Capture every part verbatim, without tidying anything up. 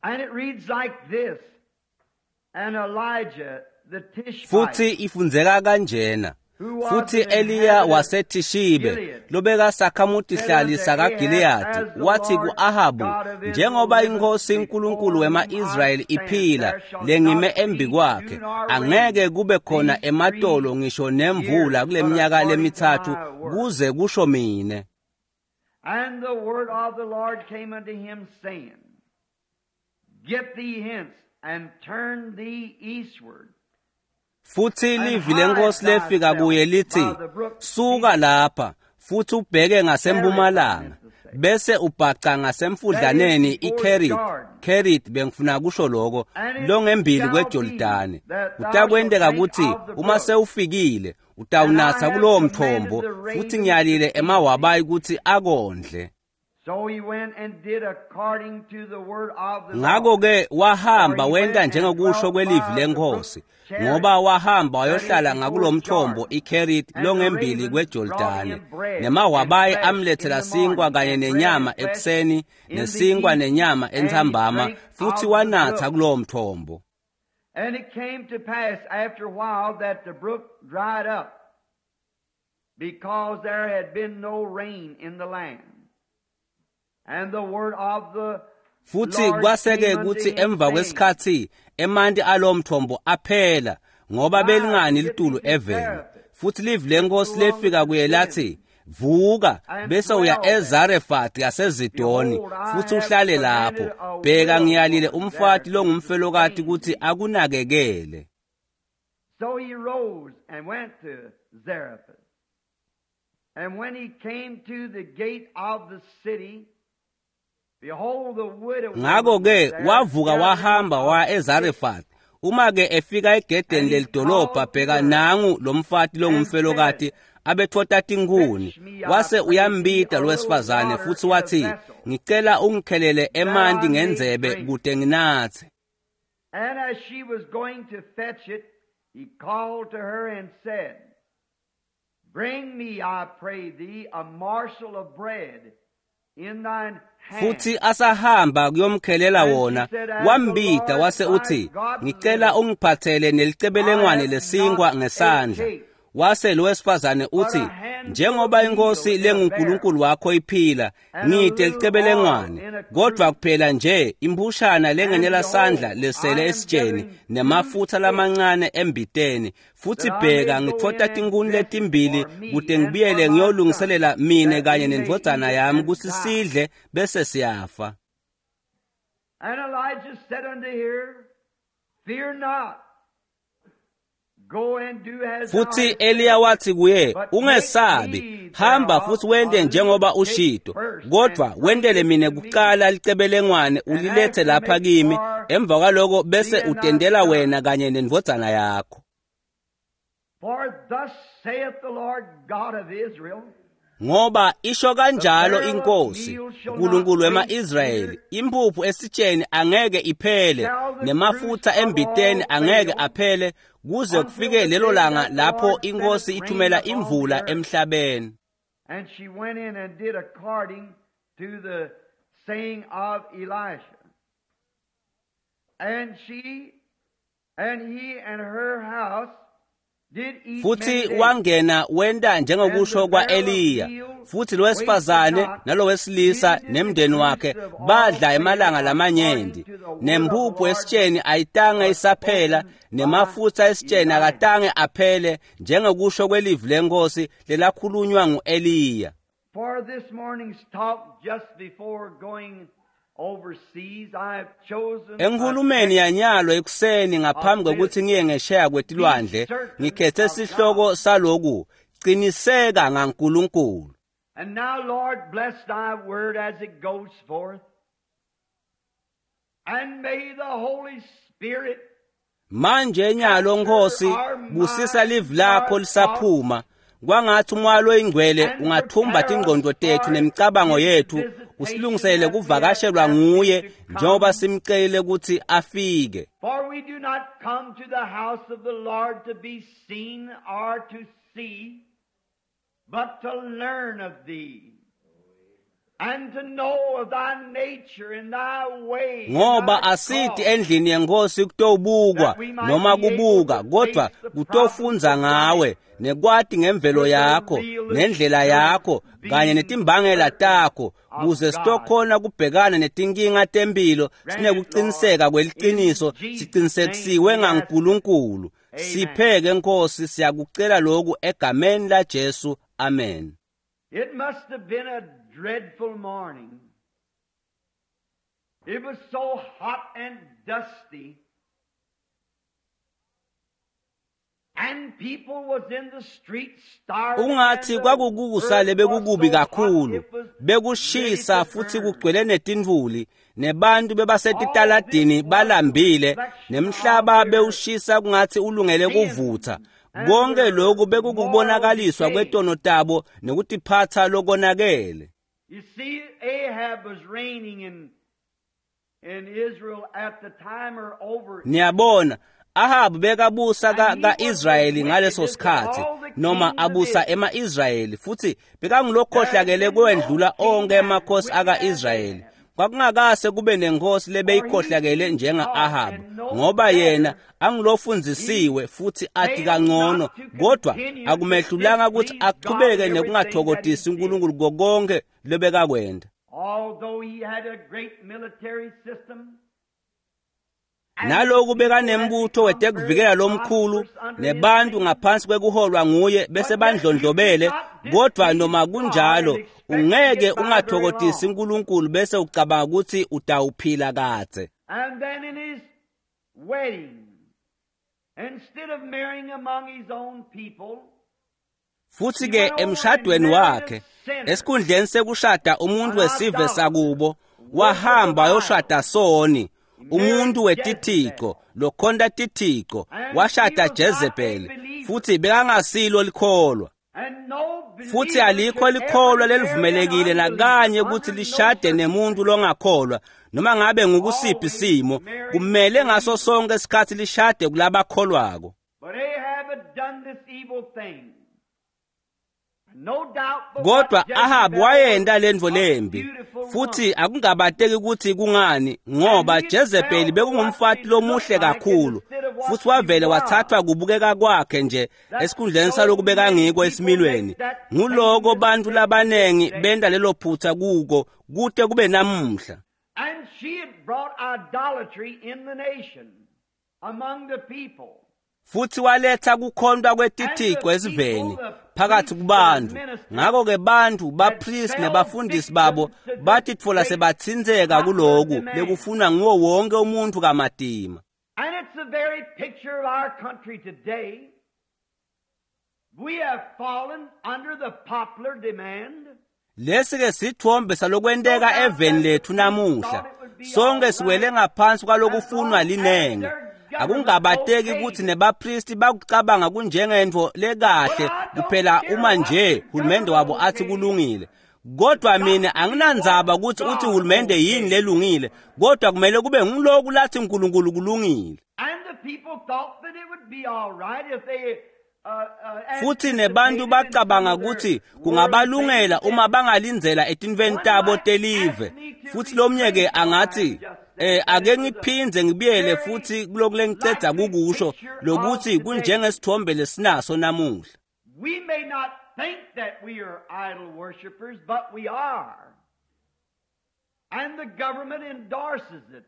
And it reads like this, And Elijah the Tishbite, Futhi ifundzeka kanjena: Futhi Eliya waseThishibe, lobekasakhamutihlali sakaGileyadi, wathi ku-Ahabu, "Njengoba iNkhosi uNkulunkulu wema-Israyeli iphila, lengime embi kwakhe, angeke kube khona ematolo ngisho nemvula kuleminyaka lemitsatfu kuze kusho mine." And the word of the Lord came unto him, saying, Get thee hence, and turn thee eastward. Futhi livi leNkosi lefika kuye lithi, "Suka lapha futhi ubheke ngasempumalanga, bese ubhaca ngasemfudlaneni iKerit." Kerit, bengifuna kusho lokho, longembili kweJordani. Kutakwenteka kutsi uma sewufikile utawunatsa kulowo mthombo, futhi ngiyalile emawabayi kutsi akondle. So he went and did according to the word of the Lord. Ngakho-ke wahamba wenta njengokusho kwelivi leNkhosi, ngoba wahamba wayohlala ngakulo mthombo iKerit longembili kweJordani. Nemawabayi amlethela sinkwa kanye nenyama ekuseni, nesinkwa nenyama entsambama, futhi wanatha kulowo mthombo. And it came to pass after a while that the brook dried up, because there had been no rain in the land. And the word of the Futhi Lord kwaseke came unto kutsi him, emva saying, kwesikhatsi emanti alowo mthombo aphela, ngoba belingani litulu eveni. Futhi livi leNkhosi lefika kuye lathi, "Vuka bese uya eZarefati yaseZidoni futhi uhlale lapho. Bheka, ngiyalile umfati longumfelokati kutsi akunakekele." So he rose and went to Zarephath. And when he came to the gate of the city, behold, the widow Ngakho-ke was there wavuka gathering wahamba waya up sticks. eZarefati. Uma-ke efika egedeni lelidolobha, bheka, nangu lo mfati longumfelokati abethota tinkhuni. Wase uyambita lo wesifazane futhi wathi, "Ngicela ungikhelele emanti ngendzebe kute nginatse." And as she was going to fetch it, he called to her and said, Bring me, I pray thee, a morsel of bread in thine hand. Futhi asahamba kuyomkhelela wona, wambita wase uthi, "Ngicela ungiphathele nelicebelengwane lesinkwa ngesandla." Wase lo wesifazane uthi, "Njengoba iNkhosi lenguNkulunkulu wakho iphila, ngite licebelengwane, kodvwa kuphela nje imphushana lengenela sandla lesele esitsheni, nemafutsa lamancane embiteni. Futhi bheka, ngitfota tinkhuni letimbili kute ngibuyele ngiyolungiselela mine kanye nendvodzana yami kutsi sidle bese siyafa." And Elijah said unto her, Fear not. Go and do as thou Futhi hast Eliya said. wathi kuye, "Ungesabi, hamba futhi wente njengoba ushito, kodvwa wentele mine kucala licebelengwane ulilethe lapha kimi, emva kwaloko bese utendela wena kanye nendvodzana yakho." For thus saith the Lord God of Israel, Ngoba isho kanjalo iNkhosi uNkulunkulu wema-Israyeli, imphuphu esitsheni angeke iphele, nemafutsa embiteni angeke aphele, kuze kufike lelo langa lapho iNkhosi ithumela imvula emhlabeni. And she went in and did according to the saying of Elisha. And she and he and her house did eat Futhi many days. wangena wenta njengokusho kwa-Eliya. Futhi lo wesifazane nalo wesilisa nemndeni wakhe badla emalanga lamanyenti. Nemphuphu esitsheni ayitange isaphela, nemafutsa esitsheni akatange aphele, njengokusho kwelivi leNkhosi lelakhulunywa ngu-Eliya. For this morning's talk, just before going overseas, I have chosen a Enkhulumeni yanyalo ekuseni ngaphambi kwekutsi ngiye ngesheya kwetilwandle, ngikhethe sihloko saloku: Qiniseka ngaNkulunkulu. And now, Lord, bless thy word as it goes forth. And may the Holy Spirit Manje nyalo Nkhosi, busisa livi lakho lisaphuma. Kwangathi umoya loyingcwele ungathumba tingqondo tethu nemicabango yethu, usilungisele kuvakashelwa nguye njengoba simcelile kutsi afike. For we do not come to the house of the Lord to be seen or to see, but to learn of thee. Ngoba asithi endlini yenkosi kutobukwa noma kubuka, kodwa kutofundza ngawe nekwati ngemvelo yakho nendlela yakho kanye netimbangela takho, kuze sitokhona kubhekana netinkinga tempilo sinekuqiniseka kweliqiniso, siqinisekisiwe ngaNkulunkulu. Sipheke Nkosi, siyakucela lokhu egameni la Jesu, amen. It must have been a dreadful morning. It was so hot and dusty. And people was in the streets starving. Ungathi kwakukusa lebekukubi kakhulu, bekushisa futhi kugcwele netintfuli, nebantu bebasetitaladini balambile, nemhlaba bewushisa kungathi ulungele kuvutha. Konke lokhu bekukubonakaliswa kwetono tabo nekutiphatha lokonakele. You see, Ahab was reigning in in Israel at the time or over. Niyabona, Ahab bekabusa ka-Israyeli ngaleso sikhathi, noma abusa ema-Israyeli, futhi bekangulokhohlakele kwendlula onke emakhosi aka-Israyeli. Kwakungakase kube nenkosi lebeyikhohlakele njenga-Ahab, ngoba yena angilofundzisiwe futhi athi kangcono, kodwa akumehlulanga ukuthi aqhubeke nekungathokotisi uNkulunkulu kokonke lobekakwenda. Although he had a great military system, Naloku bekanembutho wetekuvikela lomkhulu nebantu ngaphansi kwekuholwa nguye bese bandlondlobele, kodwa noma kunjalo ungeke ungathokotisi uNkulunkulu bese ucabanga ukuthi utawuphila kadze. And then in his wedding, instead of marrying among his own people, Futhi ke emshadweni wakhe, esikhundleni sekushada umuntu wesive sakubo, wahamba wayoshada soni, umuntu wetithixo lokhonta tithixo, washada Jezebel, futhi bekangasilo likholwa. and no Futhi alikho likholwa lelivumelekile nakanye ukuthi lishade nemuntu longakholwa, noma ngabe ngukusiphi simo, kumele ngaso sonke isikhathi lishade kulabakholwako. But Ahab had done this evil thing. No doubt but Kodwa what Ahab Jezebel wayenda lentfo was a lembi, beautiful futhi woman. akungabateki ukuthi kungani, ngoba Jezebel bekungumfati lomuhle kakhulu, futhi wavele wathathwa kubukeka kwakhe nje esikhundleni saloku bekangiko esimilweni. Nguloko bantu labanengi benta lelo phutha kuko kute kube namuhla. And she had brought idolatry in the nation, among the people. Futhi waletha kukhontwa kwetithixo esiveni phakathi kubantu. Ngakho-ke bantu, bapristi nebafundisi babo batitfola sebatsintseka kuloku lekufunwa nguwo wonke umuntu kamatima. And it's the very picture of our country today. We have fallen under the popular demand. Lesi-ke sithombe salokwenteka eveni lethu namuhla. Sonke siwele ngaphansi kwalokufunwa linenge. Akungabateki ukuthi nebapristi bakucabanga kunjengentfo lekahle kuphela uma nje hulumende wabo athi kulungile. Kodwa mina anginandzaba ukuthi uthi hulumende yini lelungile, kodwa kumele kube nguloku lathi uNkulunkulu kulungile. And the people thought that it would be all right if they uh, uh, Futhi nebantu bacabanga ukuthi kungabalungela uma bangalindzela etinfweni tabo telive. Futhi lomnye ke angathi, eh ake ngiphindze ngibuyele futhi kuloku lengicedza kukusho lokuthi kunjengesithombe lesinaso namuhla. We may not think that we are idol worshippers, but we are. And the government endorses it.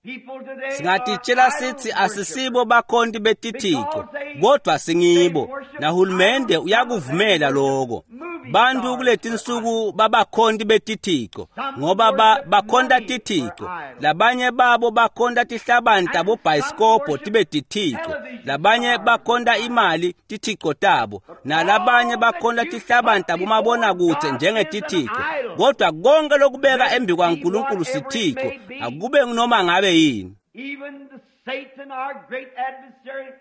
People today are Singatitshela idol sithi worshippers. asisibo bakhonti betithixo, kodwa singibo, nahulumende uyakuvumela lokho. Bantu kuletinsuku babakhonti betithixo ngoba ba, bakhonta tithixo. Labanye babo bakhonta tihlabani tabobhayisikobho tibe tithixo, labanye bakhonta imali tithixo tabo, nalabanye bakhonta tihlabani tabomabonakude njengetithixo. Kodwa konke lokubeka embi kwaNkulunkulu sithixo, akube noma ngabe yini. Even the Satan, our great adversary,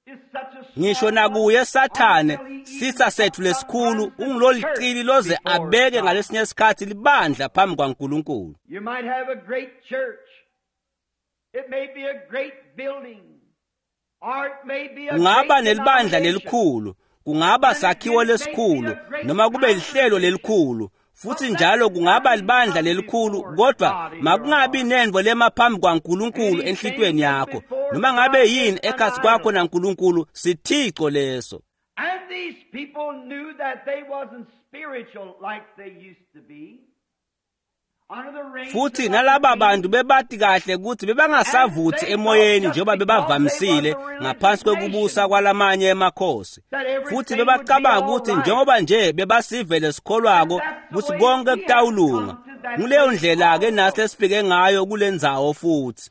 is such a Ngisho smart nakuye one Sathane, until he sitha even sethu lesikhulu, sometimes the ungiloliqili church loze before abeke God. ngalesinye isikhathi libandla phambi kwaNkulunkulu. You might have a great church. It may be a great building. Or it may be a Kungaba great nelibandla denomination. lelikhulu, kungaba sakhiwo lesikhulu, noma kube lihlelo lelikhulu, Futhi njalo kungaba libandla lelikhulu, kodwa makungabi nendvo lema phambi kwaNkulunkulu enhlitiyweni yakho. Noma ngabe yini ekhatsi kwakho naNkulunkulu, sithico leso. And these people knew that they wasn't spiritual like they used to be. Futhi nalaba bantu bebati kahle ukuthi bebangasavuthi emoyeni njengoba bebavamisile ngaphansi kwekubusa kwalamanye emakhosi. Futhi bebacabanga ukuthi njengoba nje bebasivele sikholwako ukuthi konke kutawulunga. Nguleyo ndlela ke nasi lesifike ngayo kulendzawo futhi.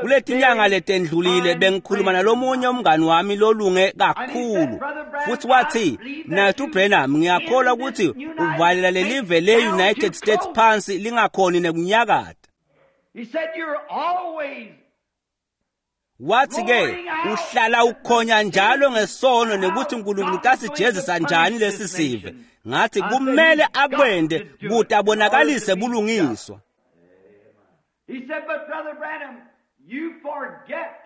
Kuletinyanga letendlulile bengikhuluma nalomunye umngani wami lolunge kakhulu, futhi wathi, "Mnaketfu Branham, ngiyakholwa ukuthi uvalela lelive le-United States phansi lingakhoni nekunyakata." Wathi ke, uhlala ukhonya njalo ngesono nekuthi uNkulunkulu utasijezisa njani lesi sive. Ngathi kumele akwende kude abonakalise bulungiswa. He said, "But Brother Branham, you forget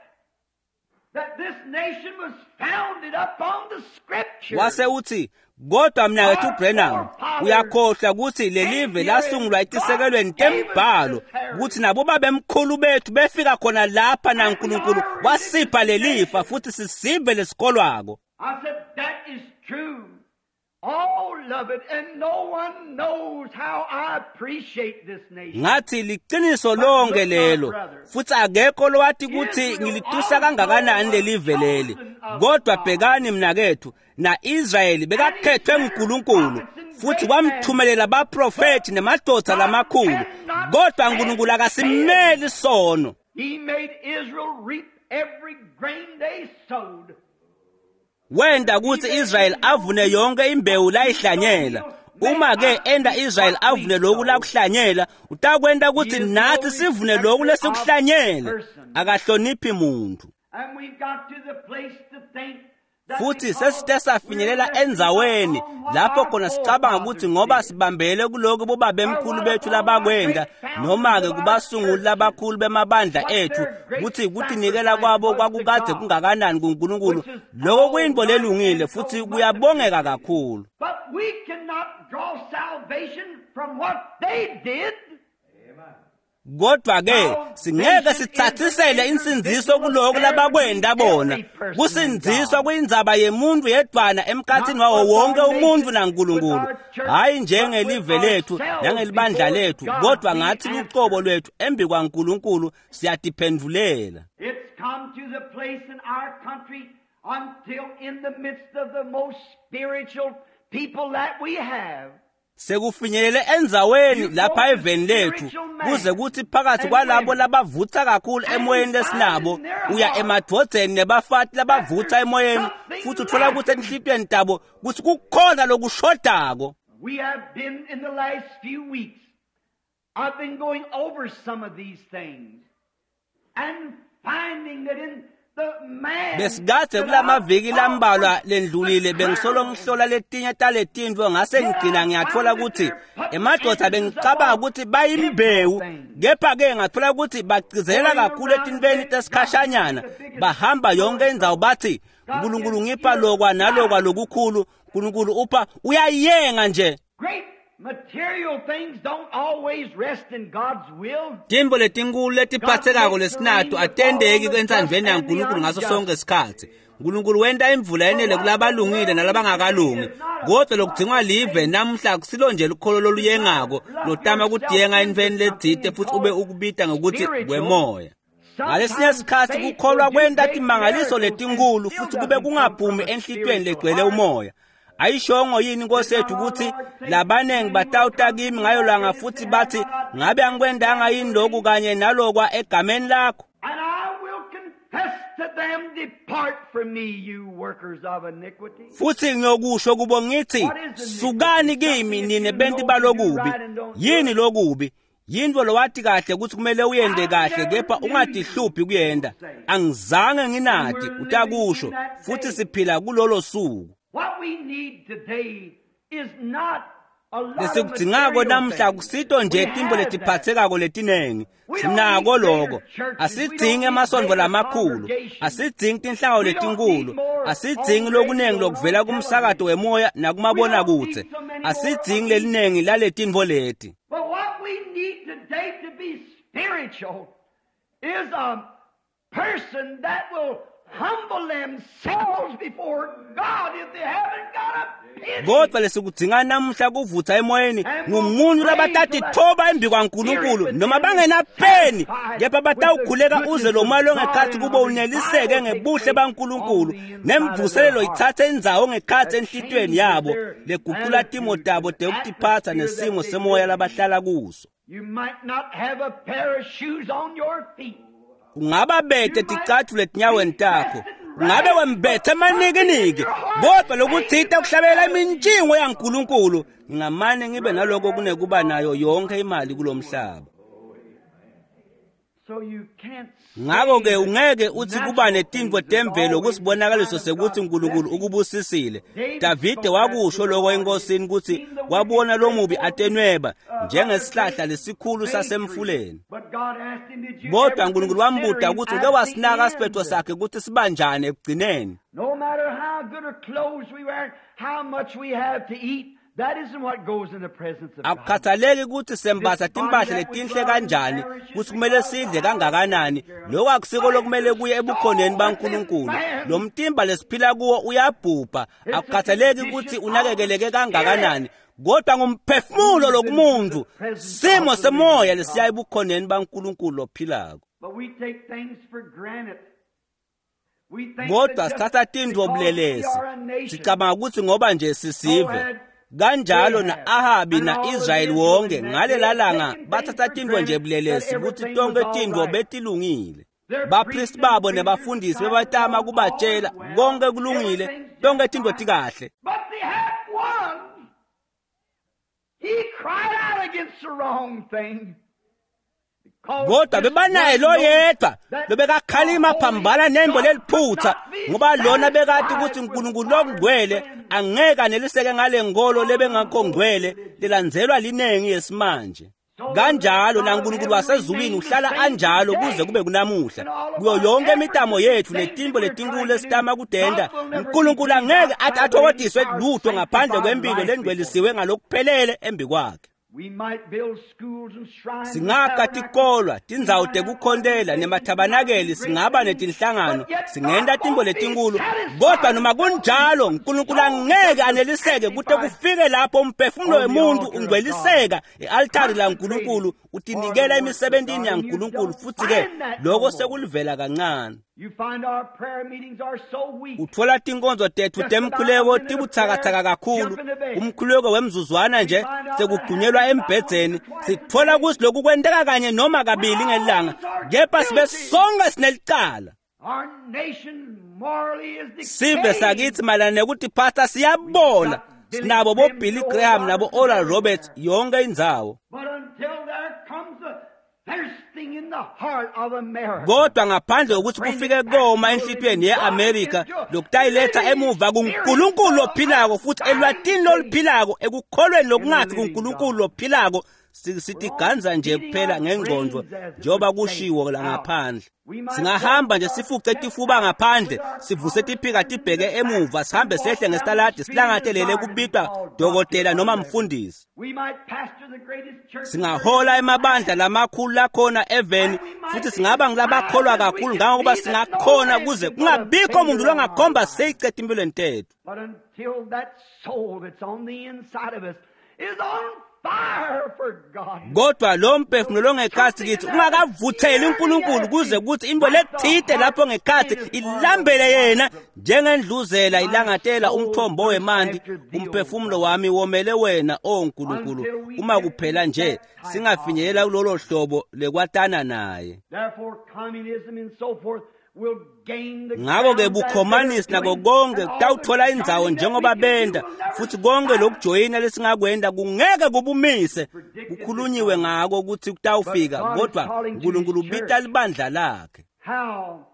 that this nation was founded upon the scriptures." Wase uthi, kodwa mnaketfu Branham, uyakhohlwa ukuthi lelive lasungulwa etisekelweni tembhalo, ukuthi nabo babemkhulu bethu befika khona lapha naNkulunkulu wasipha lelifa futhi sisive lesikholwako. I said, "That is true. All of it, and no one knows how I appreciate this nation." Ngathi liqiniso lonke lelo, futhi akekho lowathi ukuthi ngilitusa kangakanani lelive leli. Kodwa bhekani mnakethu, na-Israyeli bekakhethwe nguNkulunkulu futhi wamthumelela abaprofethi nemadoda lamakhulu, kodwa uNkulunkulu akasimeli sono. He made Israel reap every grain they sowed. Wenda ukuthi Israel avune yonke imbewu layihlanyela. Uma ke enda Israel avune lokhu lakuhlanyela, utakwenda ukuthi nathi sivune lokhu lesikuhlanyele. Akahloniphi muntu. And we've got to the place to think Futhi sesite safinyelela endzaweni lapho khona sicabanga ukuthi ngoba sibambele kuloko bobabemkhulu bethu labakwenda, noma ke kubasunguli labakhulu bemabandla ethu, ukuthi kutinikela kwabo kwakukade kungakanani kuNkulunkulu. Lokho kuyinto lelungile futhi kuyabongeka kakhulu. But we cannot draw salvation from what they did. Kodwa ke singeke sithathisele insindziso kuloko labakwenda bona. Kusindziswa kuyindzaba yemuntu yedwana emkhathini wawo wonke umuntu naNkulunkulu, hayi njengelive lethu nangelibandla lethu, kodwa ngathi lucobo lwethu embi kwaNkulunkulu siyatiphendulela. It's come to the place in our country until in the midst of the most spiritual people that we have. Sekufinyelele endzaweni lapha eveni lethu kuze kuthi phakathi kwalabo labavutha kakhulu emoyeni lesinabo, uya emadvodzeni nebafati labavutha emoyeni, futhi uthola ukuthi enhlitiyweni tabo kuthi kukhona lokushodako. We have been in the last few weeks, I've been going over some of these things and finding that in Besikade kulamaviki lambalwa lendlulile bengisolo ngihlola letinye taletintfo, ngase ngigcina ngiyathola ukuthi emadoda bengicabanga ukuthi bayimbewu, kepha ke ngathola ukuthi bagcizelela kakhulu etintfweni tesikhashanyana. Bahamba yonke indzawo bathi uNkulunkulu ngipha lokwa nalokwa lokukhulu, uNkulunkulu upha, uyayenga nje. Great material things don't always rest in God's will. Tintfo letinkulu letiphathekako lesinato atendeki entsandvweni yaNkulunkulu ngaso sonke isikhatsi. uNkulunkulu wenta imvula yenele kulabalungile nalabangakalungi, kodwa lokudzingwa live namhla kusilo nje lukholo loluyengako lotama kudiyenga entfweni letsite futhi ube ukubita ngokuthi kwemoya. Ngalesinye isikhatsi kukholwa kwenta timangaliso letinkulu futhi kube kungaphumi enhlitiyweni legcwele umoya. Ayishongo yini inkosi yethu ukuthi labanengi batawuta kimi ngayo langa futhi bathi ngabe angikwendanga yini lokhu kanye nalokwa egameni lakho? And I will confess to them, depart from me, you workers of iniquity. Futhi ngiyokusho kubo ngithi sukani kimi nine benti balokubi. Yini lokubi? Yintfo lowathi kahle ukuthi kumele uyende kahle kepha ungatihluphi kuyenda. Angizange nginati utakusho, futhi siphila kulolo suku. What we need today is not Lesikudzingako namhla kusito nje tintfo letiphatsekako letinengi. Sinako loko. Asidzingi emasontfo lamakhulu, asidzingi tinhlangano letinkhulu, asidzingi lokunengi lokuvela kumsakato wemoya nakumabonakudze, asidzingi lelinengi laletintfo leti. But what we need today to be spiritual is a person that will humble themselves before God if they haven't got a penny. Kodwa lesikudzinga namuhla kuvutsa emoyeni ngumuntu labatatitfoba embi kwaNkulunkulu noma bangenapeni, kepha batawukhuleka uze lo moya longekhatsi kubo uneliseke ngebuhle baNkulunkulu, nemvuselelo itsatse indzawo ngekhatsi enhlitiyweni yabo legucula timo tabo tekutiphatsa nesimo semoya labahlala kuso. You might not have a pair of shoes on your feet. Ungaba bete ticatfulo etinyaweni takho, ungabe wembethe emanikiniki, kodwa lokutsite kuhlabela imintshingo yaNkulunkulu. Ngingamane ngibe naloko kunekuba nayo yonke imali kulomhlaba. So you can't Ngako-ke ungeke utsi kuba netintfo temvelo kusibonakaliso sekutsi uNkulunkulu ukubusisile. Davide wakusho loko enkosini kutsi wabona lomubi atenweba njengesihlahla lesikhulu sasemfuleni. But God asked him, did you Kodwa ever uNkulunkulu consider wambuta him kutsi at uke wasinaka the siphetfo end? sakhe kutsi sibanjani ekugcineni. No matter how good or clothes we wear, how much we have to eat, that isn't what goes in the presence of God. Akukhathaleki kutsi sembatsa timphahla letinhle kanjani, kutsi kumele sidle kangakanani, lokho akusiko lokumele kuye ebukhoneni baNkulunkulu. Lo mtimba lesiphila kuwo uyabhubha, akukhathaleki kutsi unakekeleke kangakanani, kodwa ngumphefumulo lokumuntu, simo semoya lesiya ebukhoneni baNkulunkulu lophilako. But we take things for granted. We think Kodwa that just sithatha tintfo because we bulelesi, are a nation, sicabanga kutsi ngoba nje sisive. Kanjalo na-Ahabi na-Israyeli wonke ngalela langa bathatha tintfo nje bulelesi kutsi tonkhe tintfo betilungile. Baphristi babo nebafundisi bebatama kubatjela konke kulungile, tonkhe tintfo tikahle. But they had one. He cried out against the wrong thing. Because Kodwa this bebanaye one knows loyedwa that lobekakhalima the phambana Holy nembo God leliphutsa, could not be ngoba lona bekati satisfied kutsi with uNkulunkulu modern lokungcwele sin. angeke aneliseke ngale nkolo lebengakho ngcwele lelandzelwa linengi yesimanje. Kanjalo naNkulunkulu wasezulwini uhlala anjalo kuze kube kunamuhla. Kuyo yonke imitamo yethu netintfo letinkulu lesitama kutenta, uNkulunkulu angeke athi athokotiswe lutho ngaphandle kwempilo lengcwelisiwe ngalokuphelele embi kwakhe. We might build schools and shrines and Singakha tabernacles. tikolwa, tindzawo tekukhontela nemathabanakeli, singaba netinhlangano, singenta tintfo letinkulu, kodwa noma kunjalo uNkulunkulu angeke aneliseke kute kufike lapho umphefumulo wemuntu ungcweliseka e-altari laNkulunkulu, utinikela emisebentini yaNkulunkulu, futsi-ke loko sekulivela kancane. You find our prayer meetings are so weak. Utfola tinkonzo tetfu temkhuleko tibutsakatsaka kakhulu, umkhuleko wemzuzwana nje sekugcunyelwa embhedzeni. Sitfola kutsi loku kwenteka kanye noma kabili ngelanga, kepha sibe sonke sinelicala. Our nation morally is Sive decaying. sakitsi mayelana nekutiphatsa siyabola. Sinabo bo Billy Graham nabo Oral Roberts yonke indzawo. But until there comes a thirsting in the heart of America. Kodwa ngaphandle kokuthi kufike koma enhlitiyweni ye-Amerika lokutayiletha emuva kuNkulunkulu lophilako futhi elwatini loluphilako ekukholweni lokungafi kuNkulunkulu lophilako, sitiganza nje kuphela ngengqondo njengoba kushiwo la ngaphandle. Singahamba nje sifuce tifuba ngaphandle, sivuse tiphika tibheke emuva, sihambe sehle ngesitaladi silangatelele kubitwa dokotela noma mfundisi. We might pastor the greatest church. Singahola emabandla lamakhulu lakhona eveni, futhi singaba ngilabakholwa kakhulu ngangokuba singakhona kuze kungabikho muntu longakhomba seyicede empilweni tethu. But until that soul that's on the inside of us is on fire for God. Kodwa lo mphefumulo longekhatsi kithi ungakavutheli uNkulunkulu kuze kuthi into lethite lapho ngekhatsi ilambele yena njengendluzela ilangatela umthombo wemanti, umphefumulo wami womele wena, o Nkulunkulu, uma kuphela nje singafinyelela kulolo hlobo lekwatana naye. Therefore, communism and so forth will gain the Ngako-ke ground as bukhomanisi they're nako doing, konke and all kutawutfola the indzawo joining that njengoba we can do benta, will never futhi konke lokujoyina lesingakwenta kungeke kubumise. Kukhulunyiwe ngako kutsi kutawufika, kodwa uNkulunkulu ubita libandla lakhe. How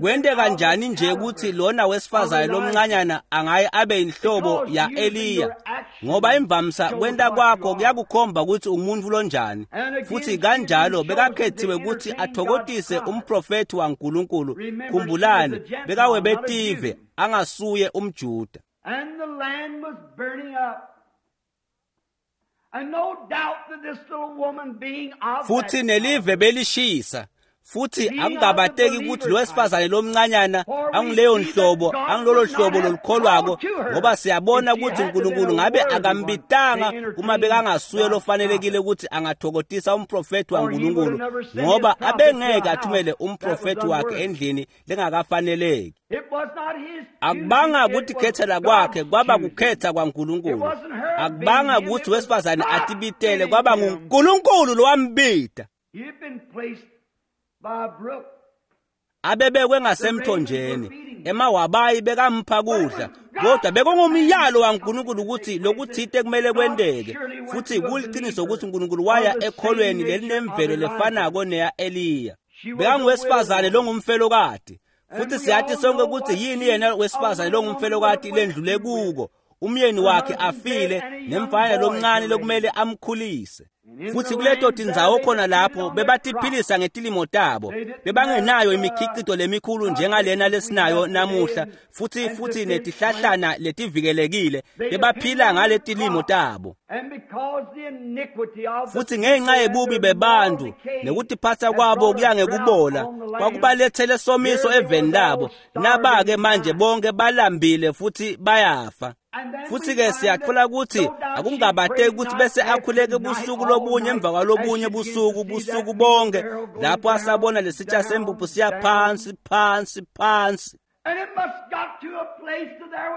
Kwenteka njani nje ukuthi lona wesifazane lomncanyana angaye abe inhlobo ya Eliya? Ngoba imvamsa kwenta kwakho kuyakukhomba ukuthi umuntu lonjani. Futhi kanjalo bekakhethiwe ukuthi athokotise umprofethi waNkulunkulu. Khumbulani, bekawebetive angasuye umJuda. And the land was burning up. And no doubt that this little woman being of futhi nelive belishisa. Futhi akukabateki ukuthi lo wesifazane lomncanyana anguleyo nhlobo, angilolo hlobo lolukholwako, ngoba siyabona ukuthi uNkulunkulu ngabe akambitanga uma bekangasuye lofanelekile ukuthi angathokotisa umprofethi waNkulunkulu, ngoba abengeke athumele umprofethi wakhe endlini lengakafaneleki. Akubanga ukuthi khethela kwakhe kwaba kukhetha kwaNkulunkulu. Akubanga ukuthi wesifazane atibitele, kwaba nguNkulunkulu lowambita. Abebekwe ngasemthonjeni, emawabayi bekampha kudla, kodwa bekungumyalo waNkulunkulu ukuthi lokuthite kumele kwenteke. Futhi kuliqiniso ukuthi uNkulunkulu waya ekholweni lelinemvelo lefanako neya Eliya. Bekanguwesifazane longumfelokati, futhi siyathi sonke ukuthi yini yena wesifazane longumfelokati lendlule kuko. Umyeni wakhe afile nemfana lomncane lokumele amkhulise. Futhi kuleto tindzawo khona lapho bebatiphilisa ngetilimo tabo, bebangenayo imikhicito lemikhulu njengalena lesinayo namuhla, futhi futhi netihlahlana letivikelekile, bebaphila ngaletilimo tabo. Futhi ngenxa yebubi bebantu nekutiphatsa kwabo kuya ngekubola, kwakubalethele somiso eveni labo. Naba-ke manje bonke balambile futhi bayafa. Futhi ke siyathola ukuthi akungabateki ukuthi bese akhuleke busuku lobunye emva kwalobunye busuku busuku bonke, lapho asabona lesitsha sempuphu siya phansi phansi phansi.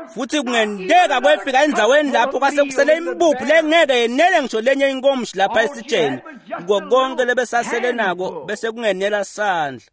Futhi kungenteka kwefika endzaweni lapho kwasekusele impuphu lengeke yenele ngisho lenye inkomishi lapha esitsheni. Kuko konke lebesasele nako bese kungenela sandla.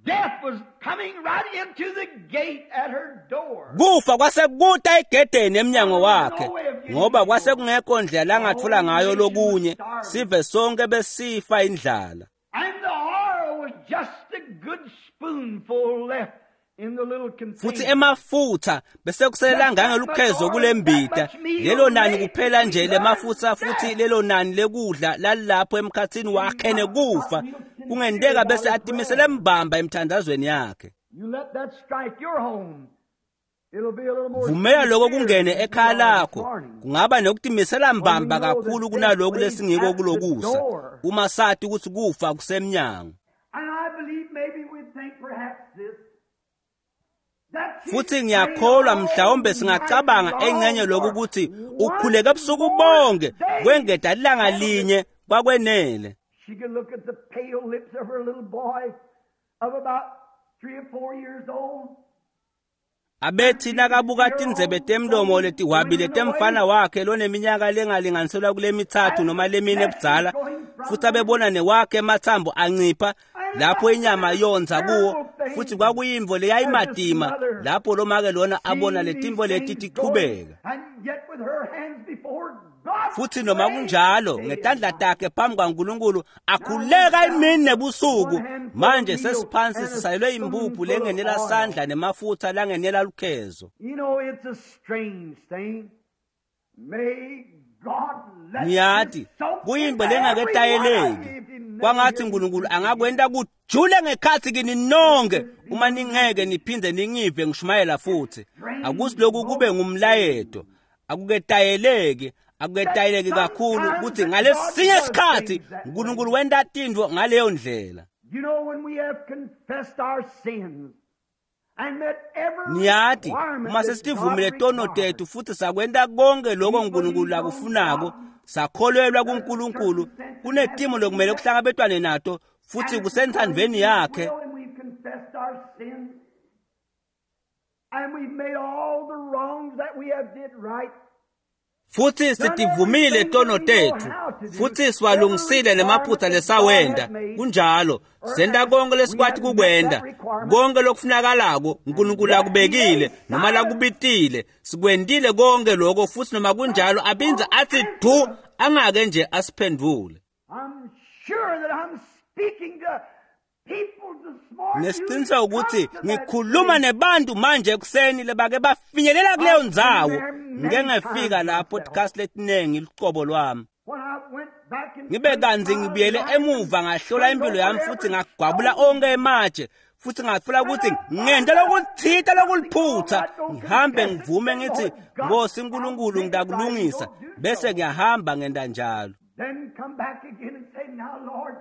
Death was coming right into the gate at her door. Kufa kwasekuta egedeni emnyango wakhe, ngoba kwasekungekho ndlela langathola ngayo lokunye. Sive sonke besifa indlala. And the oil was just a good spoonful left in the little container. Futhi emafutha besekusele ngangelukhezo kulembita. Lelo nani kuphela nje lemafutha, futhi lelo nani lekudla lalapho emkhathini wakhe nekufa. Kungenteka bese atimisele mbamba emthandazweni yakhe. Vumela lokho kungene ekhaya lakho. Kungaba nokutimisela mbamba kakhulu kunalokhu lesingiko kulokusa, uma sathi ukuthi kufa kusemnyango. Futhi ngiyakholwa mhlawumbe singacabanga engcenye lokhu ukuthi ukhuleke ebusuku bonke kwengeda ilanga linye kwakwenele. She could look at the pale lips of her little boy of about three or four years old. Abethi nakabuka tindzebe temlomo letihwabile temfana wakhe loneminyaka lengalinganiselwa kule mithathu noma lemine ebudzala, futhi abebona newakhe emathambo ancipha lapho inyama yonza kuwo, futhi kwakuyimvo leyayimadima lapho lomake lona abona letimvo leti tiqhubeka. Futhi noma kunjalo ngetandla takhe phambi kwaNkulunkulu akhuleka imini nebusuku. Manje sesiphansi sisalelwe impuphu lengenela sandla nemafutha langenela lukhezo. Niyati kuyimbo lengaketayeleki. Kwangathi uNkulunkulu angakwenta kujule ngekhathi kini nonke uma ningeke niphinde ningive ngishumayela futhi. Akusiloku kube ngumlayeto. Akuketayeleki, akuketayeleki kakhulu ukuthi ngalesinye isikhathi uNkulunkulu wenta tintfo ngaleyo ndlela. You know, when we have confessed our sins and met every Niyati uma sesitivumile tono tethu futhi sakwenta konke lokho uNkulunkulu akufunako, sakholelwa kuNkulunkulu, kunetimo lokumele kuhlangabetwane nato futhi kusenthandweni yakhe. And we've made all the wrongs that we have did right. Futhi sitivumile tono tethu futhi siwalungisile nemaphutha lesawenda. Kunjalo senta konke lesikwati kukwenda, konke lokufunakalako uNkulunkulu akubekile noma lakubitile, sikwendile konke lokho. Futhi noma kunjalo abinza athi du angake nje asiphendule. I'm sure that I'm speaking to Nesiqiniseko ukuthi ngikhuluma nebantu manje ekuseni lebake bafinyelela kuleyo ndzawo. Ngike ngefika lapho tikhathi letiningi lucobo lwami. Ngibe kanzi ngibuyele emuva ngahlola impilo yami futhi ngagwabula onke ematshe futhi ngatfola ukuthi ngente lokuthita lokuliphutha, ngihambe ngivume ngithi Nkosi uNkulunkulu ngidakulungisa, bese ngiyahamba ngenda njalo. Then come back again and say, now Lord,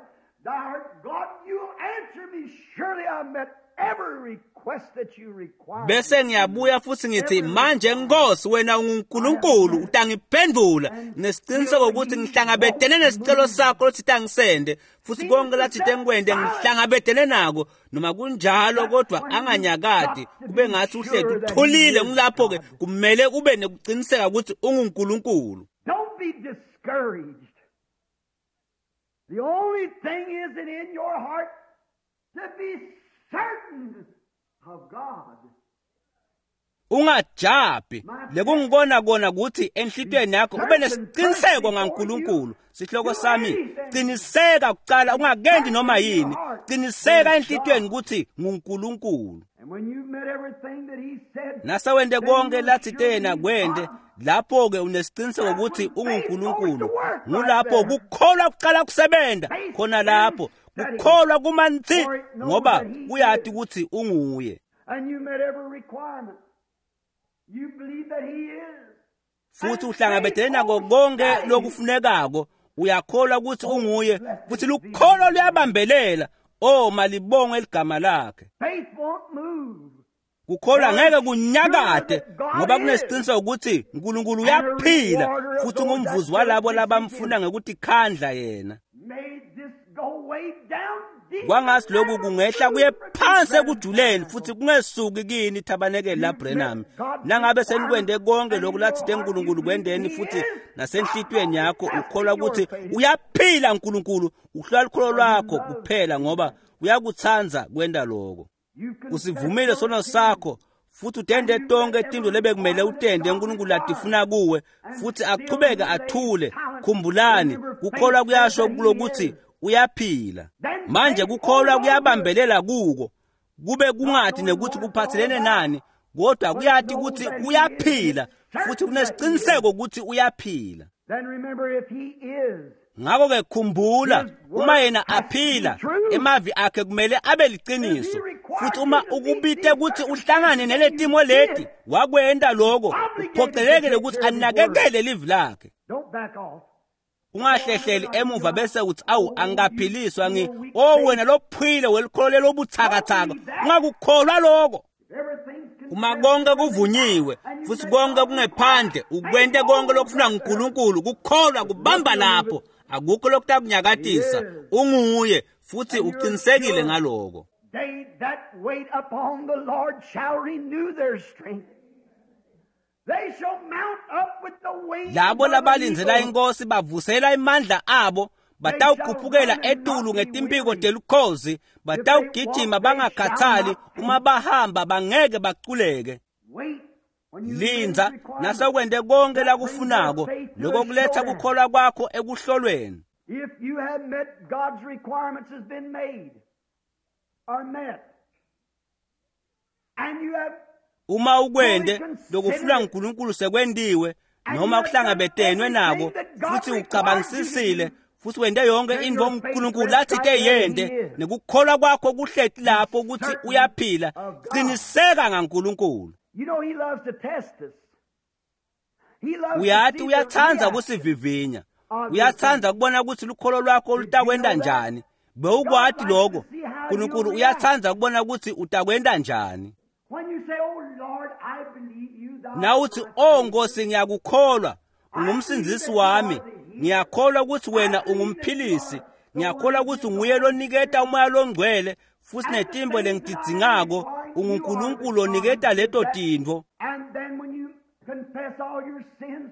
thou art God, you answer me. Surely I met every request that you require. Bese ngiyabuya futhi ngithi manje Nkosi wena unguNkulunkulu utangiphendula, nesiqiniseko ukuthi ngihlangabetene nesicelo sakho lothi angisende, futhi konke lathi tengikwende ngihlangabetene nako noma kunjalo, kodwa anganyakadi kube ngathi uhleti uthulile. Ngilapho ke kumele ube nekuqiniseka ukuthi unguNkulunkulu. Don't be discouraged. The only thing is that in your heart to be certain of God. Ungajabhi. Lekungibona kona ukuthi enhlitweni yakho ube nesiqiniseko ngaNkulunkulu. Sihloko sami, qiniseka kuqala ungakendi noma yini. Qiniseka enhlitweni ukuthi nguNkulunkulu. And when you've met everything that he said, Nasawende konke lathi tena kwende, lapho ke unesiqiniseko ukuthi unguNkulunkulu. Ngulapho kukholwa kuqala kusebenza khona lapho. Kukholwa kumanzi ngoba uyati ukuthi unguye. And you met every requirement. You believe that he is. Futhi uhlangabetene nako konke lokufunekako, uyakholwa ukuthi unguye, futhi lukholo luyabambelela. Oh, malibongwe eligama lakhe. Faith won't move. Kukholwa ngeke kunyakade ngoba kunesiqiniseko ukuthi uNkulunkulu uyaphila futhi ungumvuzi walabo labamfuna ngekuthi khandla yena. May this go way down deep. Kwangathi lokhu kungehla kuye phansi ekujuleni futhi kungesuki kini thabanekeli la Branham. Nangabe senikwende konke lokhu lathi uNkulunkulu kwendeni, futhi nasenhlitweni yakho ukholwa ukuthi uyaphila uNkulunkulu, uhlola lukholo lwakho kuphela ngoba uyakutsandza kwenda lokho. Usivumile sono sakho futhi utende tonke tinto lebekumele utende uNkulunkulu atifuna kuwe, futhi achubeke athule. Khumbulani, kukholwa kuyasho kulokuthi uyaphila. Manje kukholwa kuyabambelela kuko, kube kungathi nekuthi kuphathelene nani, kodwa kuyati ukuthi uyaphila futhi kunesiqiniseko ukuthi uyaphila. Then remember, if he is, Ngakho ke khumbula, uma yena aphila, emavi akhe kumele abe liqiniso. Futhi uma ukubite ukuthi uhlangane neletimo leti, wakwenda lokho, uphoqelekile ukuthi anakekele livi lakhe. don't back off. Ungahlehleli emuva bese uthi awu angikaphiliswa ngi oh wena lophile welikholo lobuthakathaka. Ungakukholwa lokho. Everything's Uma konke kuvunyiwe futhi konke kungephandle, ukwente konke lokufuna nguNkulunkulu, kukholwa kubamba lapho, akukho lokutakunyakatisa. Unguye futhi uqinisekile ngaloko. They that wait upon the Lord shall renew their strength. They shall mount up with the wings Labo of an labalindzela eagle. inkosi bavusela imandla abo, batawukhuphukela etulu ngetimpiko telukhozi, batawugijima bangakhathali, uma bahamba bangeke baculeke. Wait when you Linza nasekwente konke lakufunako, lokho kuletha kukholwa kwakho ekuhlolweni. If you have met God's requirements has been made or met, and you have Uma ukwende lokufuna uNkulunkulu sekwentiwe noma kuhlangabetenwe nako, futhi ucabangisisile futhi wente yonke into uNkulunkulu lathi te yente, nekukholwa kwakho kuhleti lapho ukuthi uyaphila, qiniseka ngaNkulunkulu. You know he loves to test us. He loves to Uyathi see the uyathanda reaction. kusivivinya, uyathanda kubona ukuthi lukholo lwakho lutakwenda njani. Bewukwati lokho, uNkulunkulu uyathanda kubona ukuthi utakwenda njani. When you say, "Oh Lord, I believe you, thou Nawuthi art my oh Nkosi ngiyakukholwa, ungumsindzisi wami, ngiyakholwa ukuthi wena ungumphilisi, ngiyakholwa ukuthi nguye loniketa umoya longcwele futhi netimbo lengitidzingako, unguNkulunkulu oniketa leto tintfo. And then when you confess all your sins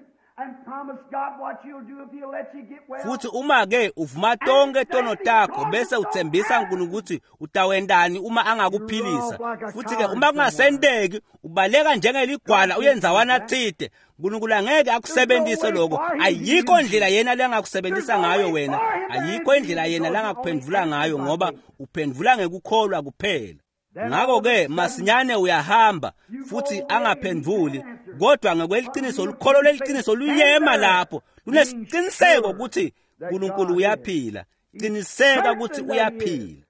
Futhi uma ke uvuma tonke tono takho bese uthembisa uNkulunkulu ukuthi utawendani uma angakuphilisa, futhi ke uma kungasendeki ubaleka njengeligwala uyenzawana thide, uNkulunkulu angeke akusebenzise lokho. Ayikho indlela yena lengakusebenzisa ngayo wena, ayikho indlela yena langakuphendvula ngayo, ngoba uphendvula ngekukholwa kuphela. Ngakho-ke masinyane uyahamba futhi angaphendvuli, kodwa ngokweliciniso lukholo leliqiniso luyema lapho lunesiqiniseko ukuthi uNkulunkulu uyaphila. Qiniseka ukuthi uyaphila.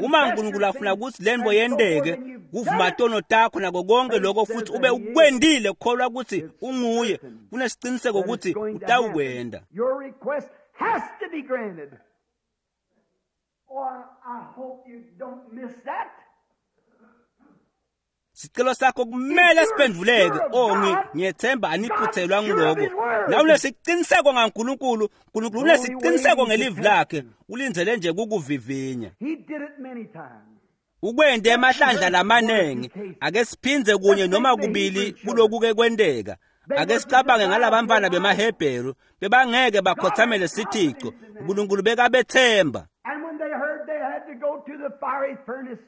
Uma uNkulunkulu afuna ukuthi lento yendeke, kuvuma tono takho nako konke lokho futhi ube ukwendile kukholwa ukuthi unguye, kunesiqiniseko ukuthi utawukwenda. Has to be granted. Oh, I hope you don't miss that. Sicelo sakho kumele siphendvuleke. Oh, ngiyethemba aniphuthelwa ngiloko. Na unesiqiniseko ngaNkulunkulu, uNkulunkulu unesiqiniseko ngelivi lakhe, ulindzele nje kukuvivinya. He did it many times. Ukwende emahlandla lamanengi. Ake siphindze kunye noma kubili kulokuke kwenteka. Ake sicabange ngalabantwana bemaHebheru, bebangeke bakhothamele sithico, uNkulunkulu bekabethemba. And when they heard they had to go to the fiery furnace,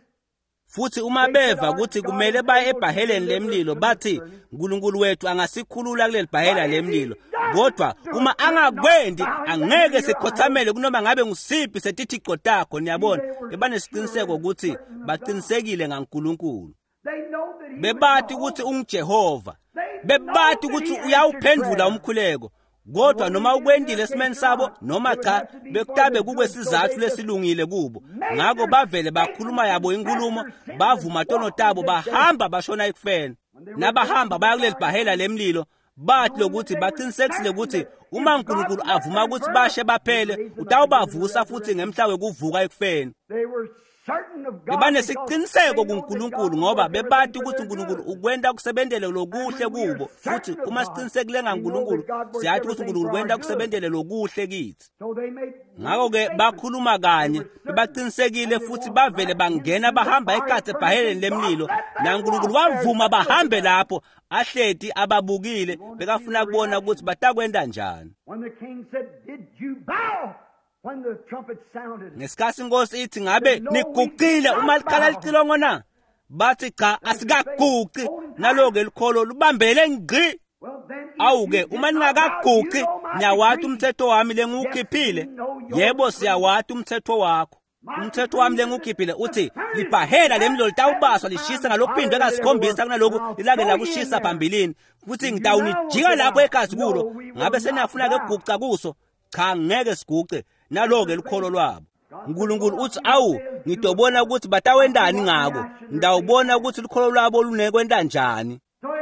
Futhi uma beva ukuthi kumele baye ebhaheleni lemlilo, bathi uNkulunkulu wethu angasikhulula kuleli bhahela lemlilo, kodwa uma angakwendi angeke sikhothamele kunoma ngabe ngusiphi setithico takho. Niyabona, bebanesiqiniseko ukuthi baqinisekile ngaNkulunkulu. they know that he Bebati ukuthi unguJehova, bebati ukuthi uyawuphendvula umkhuleko, kodwa noma ukwendile esimeni sabo noma cha, bekutabe kukwesizathu lesilungile kubo. Ngakho bavele bakhuluma yabo inkulumo, bavuma tono tabo, bahamba bashona ekufeni. Nabahamba baya kuleli bhahela lemlilo, bathi lokuthi baqinisekisile ukuthi uma uNkulunkulu avuma ukuthi bashe baphele, utawubavusa futhi ngemhla wekuvuka ekufeni. They were certain of God. Bebanesiqiniseko kuNkulunkulu ngoba bebati ukuthi uNkulunkulu ukwenta kusebentele lokuhle kubo. Futhi uma siqinisekile ngaNkulunkulu, siyathi ukuthi uNkulunkulu kwenta kusebentele lokuhle kithi. So they made Ngakho-ke bakhuluma kanye, bebaqinisekile futhi bavele bangena bahamba ekhatsi ebhaheleni lemlilo, naNkulunkulu wavuma bahambe lapho, ahleti ababukile, bekafuna kubona ukuthi batakwenta njani. When the king said, "Did you bow?" When the trumpet sounded, Ngesikhathi inkosi ithi ngabe niguqile uma likhala licilongo na, bathi cha, asikaguqi. Naloke likholo lubambele ngqi. well then, if Awuke you did uma not bow, ningakaguqi, you know my niyawati decree. umthetho wami lengiwukhiphile. Yebo, siyawati umthetho wakho. Umthetho wami lengiwukhiphile uthi libhahela lemlilo litawubaswa lishisa ngalokuphindwe kasikhombisa kunaloku lilake lakushisa phambilini, futhi ngitawunijika lapho egazi kulo. Ngabe senafuna ke kuguca kuso? Cha, ngeke siguce. Naloke lukholo lwabo. uNkulunkulu uthi awu, ngidobona ukuthi batawendani ngako, ngidawubona ukuthi lukholo lwabo lunekwenta njani.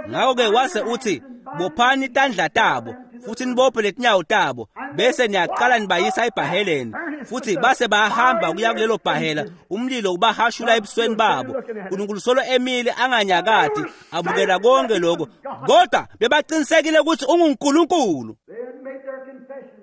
Ngakho-ke wase uthi bophani tandla tabo futhi nibophe letinyawo tabo, bese niyaqala nibayisa ebhaheleni. Futhi base bayahamba kuya kulelo bhahela, umlilo ubahashula ebusweni babo. uNkulunkulu solo emile anganyakati, abukela konke lokho, kodwa bebaqinisekile ukuthi unguNkulunkulu. They had made their confession.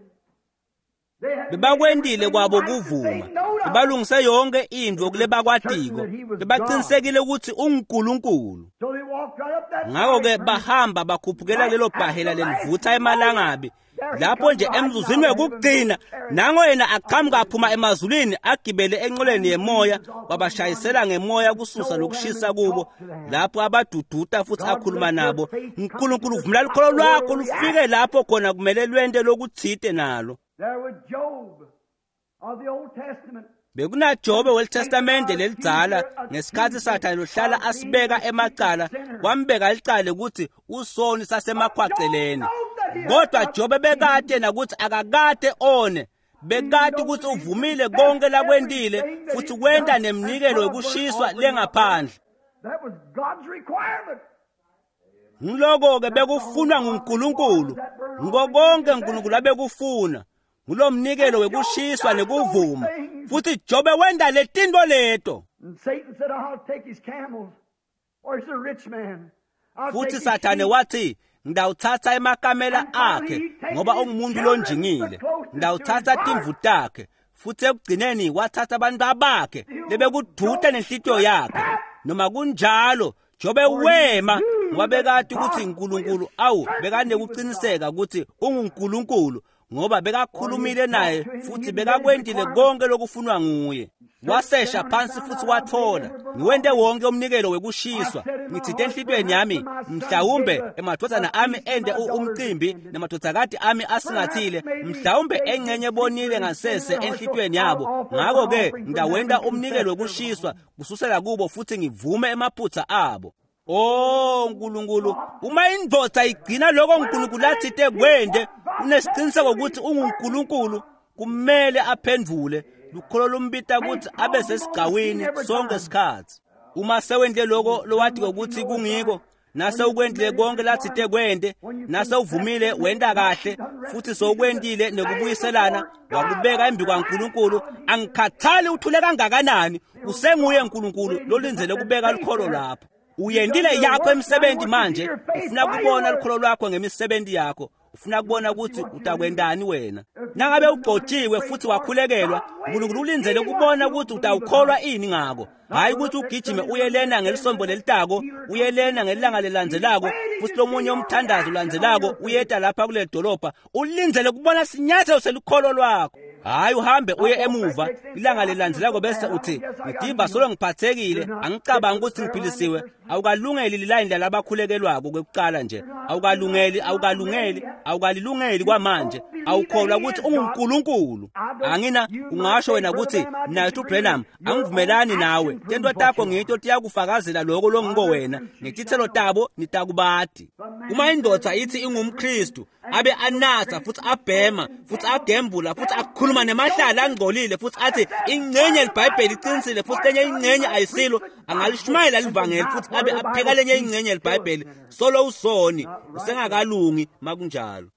They had Bebakwendile made kwabo everything right kuvuma, that they knowed of. bebalungise yonke into kulebakwatiko, bebaqinisekile ukuthi unguNkulunkulu. So they walked right up that Ngakho-ke fiery furnace. bahamba bakhuphukela lelo bhahela lelivutha emalangabi. Lapho nje emzuzwini wekugcina, nango yena aqhamuka aphuma emazulwini agibele enqoleni yemoya, wabashayisela ngemoya kususa lokushisa kubo. Lapho abaduduta futhi akhuluma nabo. uNkulunkulu uvumela lukholo lwakho lufike lapho khona kumele lwente lokuthite nalo. There was Job of the Old Testament. BekunaJobe weliTestamente lelidzala ngesikhathi Sathane lohlala asibeka emacala, wambeka licala ukuthi usoni sasemakhwaceleni. Kodwa Jobe bekade nakuthi akakade one, bekade ukuthi uvumile konke lakwendile futhi kwenta nemnikelo wekushiswa lengaphandle. That was God's requirement. Ngiloko-ke bekufunwa nguNkulunkulu, ngiko konke uNkulunkulu abekufuna, ngulo mnikelo wekushiswa nekuvuma. Futhi Jobe wenta letinto leto. And Satan said, I'll take his camels. Or he's a rich man. I'll Futhi take his Sathane sheep. wathi ngidawuthatha emakamela akhe ngoba ungumuntu lonjingile, ngidawuthatha timvu takhe. Futhi ekugcineni wathatha abantu abakhe lebekuduta nenhlitiyo yakhe. Noma kunjalo Jobe wema Ngoba bekati ukuthi uNkulunkulu awu bekanekuqiniseka ukuthi unguNkulunkulu, ngoba bekakhulumile naye futhi bekakwendile konke lokufunwa nguye. Wasesha phansi futhi wathola, ngiwente wonke umnikelo wekushiswa, ngithinte enhlitweni yami, mhlawumbe emadvodzana ami ende umcimbi nemadvodzakati ami asingathile, mhlawumbe engcenye bonile ngasese enhlitweni yabo, ngakho-ke ngitawenta umnikelo wekushiswa kususela kubo futhi ngivume emaphutsa abo. Oh Nkulunkulu, uma indvodza igcina lokho uNkulunkulu athite kwende, unesiqiniseko ukuthi unguNkulunkulu, kumele aphendvule. Lukholo lumbita ukuthi abe sesigcawini sonke isikhathi. Uma sewendle lokho lowathi ukuthi kungiko, nase ukwendle konke lathite kwende, nase uvumile wenda kahle futhi sowukwendile nekubuyiselana, wakubeka embi kwaNkulunkulu, angikhathali uthule kangakanani, usenguye uNkulunkulu lolindzele kubeka lukholo lapho. Uyendile yakho emsebenzi manje, ufuna kubona lukholo lwakho ngemisebenzi yakho, ufuna kubona ukuthi utakwendani wena. Nangabe ugcotshiwe futhi wakhulekelwa, uNkulunkulu ulindzele kubona ukuthi utawukholwa ini ngako. Hayi ukuthi ugijime uyelena ngelisombo lelitako, uyelena ngelanga lelandzelako, futhi lomunye umthandazo ulandzelako uyeta lapha kule dolobha, ulindzele kubona sinyathelo selukholo lwakho. Hayi uhambe uye emuva ilanga lelandzelako bese uthi ngidimba solo ngiphathekile, angicabangi ukuthi ngiphilisiwe. Awukalungeli lilayini lalabakhulekelwako kwekuqala nje, awukalungeli, awukalungeli, awukalilungeli kwamanje. Awukholwa ukuthi unguNkulunkulu. Angina ungasho wena ukuthi Nathu Branham angivumelani nawe, tento takho ngito tiyakufakazela lokho longiko wena, ngetithelo tabo nitakubati. Uma indoda ithi ingumKristu abe anatha futhi abhema futhi agembula futhi akhuluma nemahlala angcolile futhi athi ingcenye eliBhayibheli iqinisile futhi lenye ingcenye ayisilo, angalishumayela livangeli futhi abe apheka lenye ingcenye eliBhayibheli, solo usoni usengakalungi makunjalo.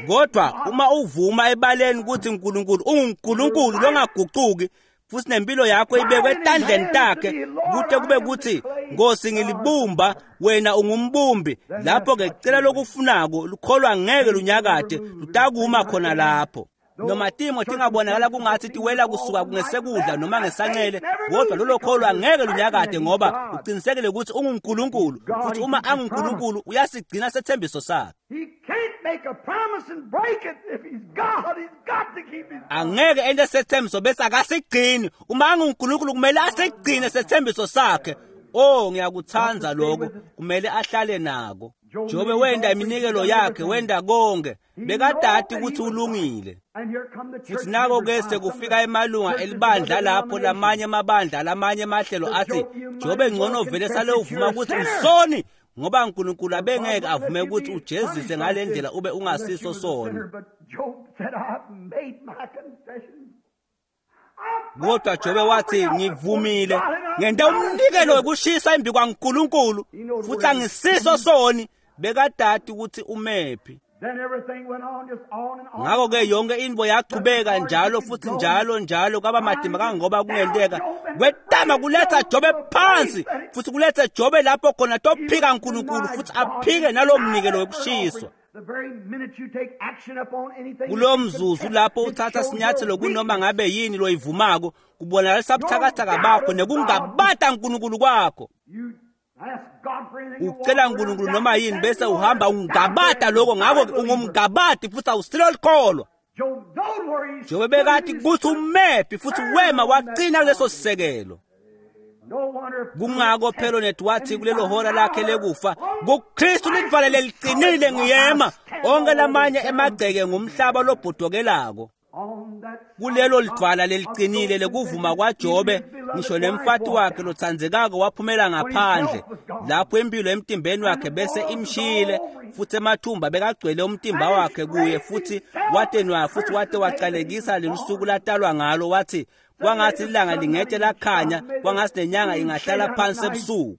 Kodwa uma uvuma ebaleni ukuthi uNkulunkulu unguNkulunkulu longaguquki futhi nempilo yakho ibekwe etandleni takhe, kute kube kuthi Nkosi ngilibumba, wena ungumbumbi, lapho ke cela lokufunako lukholwa ngeke lunyakade, lutakuma khona lapho. Noma timo tingabonakala kungathi tiwela kusuka ngesekudla noma ngesancele, kodwa lolo kholwa ngeke lunyakade ngoba uqinisekile ukuthi unguNkulunkulu, futhi uma anguNkulunkulu uyasigcina sethembiso sakhe. Angeke ente sethembiso bese akasigcini. Uma anguNkulunkulu kumele asigcine sethembiso sakhe. Oh ngiyakuthanda lokho, kumele ahlale nako. Jobe wenda iminikelo yakhe, wenda konke, bekadati ukuthi ulungile. Futhi nako ke sekufika emalunga elibandla lapho lamanye amabandla lamanye amahlelo athi Jobe ngcono vele sale uvuma ukuthi usoni, ngoba uNkulunkulu abengeke avume ukuthi ujezise ngale ndlela ube ungasiso soni. Kodwa Jobe wathi ngivumile, ngente umnikelo wekushisa embi kwaNkulunkulu futhi angisiso soni. Bekadati ukuthi umephi. Ngakho ke yonke into yachubeka njalo futhi njalo njalo kwaba madima kangoba kungenteka. Kwetama kuletha Jobe phansi futhi kuletha Jobe lapho khona tophika uNkulunkulu futhi aphike nalo mnikelo wekushiswa. Kulo mzuzu lapho uthatha sinyathelo kunoma ngabe yini loyivumako, kubonakalisa buthakathaka bakho nekungabata uNkulunkulu kwakho. Ucela uNkulunkulu noma yini bese uhamba ungabata lokho, ngakho ungumgabati futhi awusilo likholwa. Jobe bekathi kuthi umephi futhi wema waqina kuleso sisekelo. Kungako phela nethi wathi kulelo hora lakhe lekufa, kuKristu lidvwala leliqinile ngiyema, onke lamanye emagceke ngumhlaba lobhodokelako. Kulelo lidvwala leliqinile lekuvuma kwaJobe, ngisho nemfati wakhe lotsandzekako waphumela ngaphandle lapho impilo emtimbeni wakhe bese imshile, futhi emathumba bekagcwele umtimba wakhe kuye, futhi watenwa futhi wate wacalekisa lelusuku latalwa ngalo, wathi kwangathi ilanga lingete lakhanya, kwangathi nenyanga ingahlala phansi ebusuku.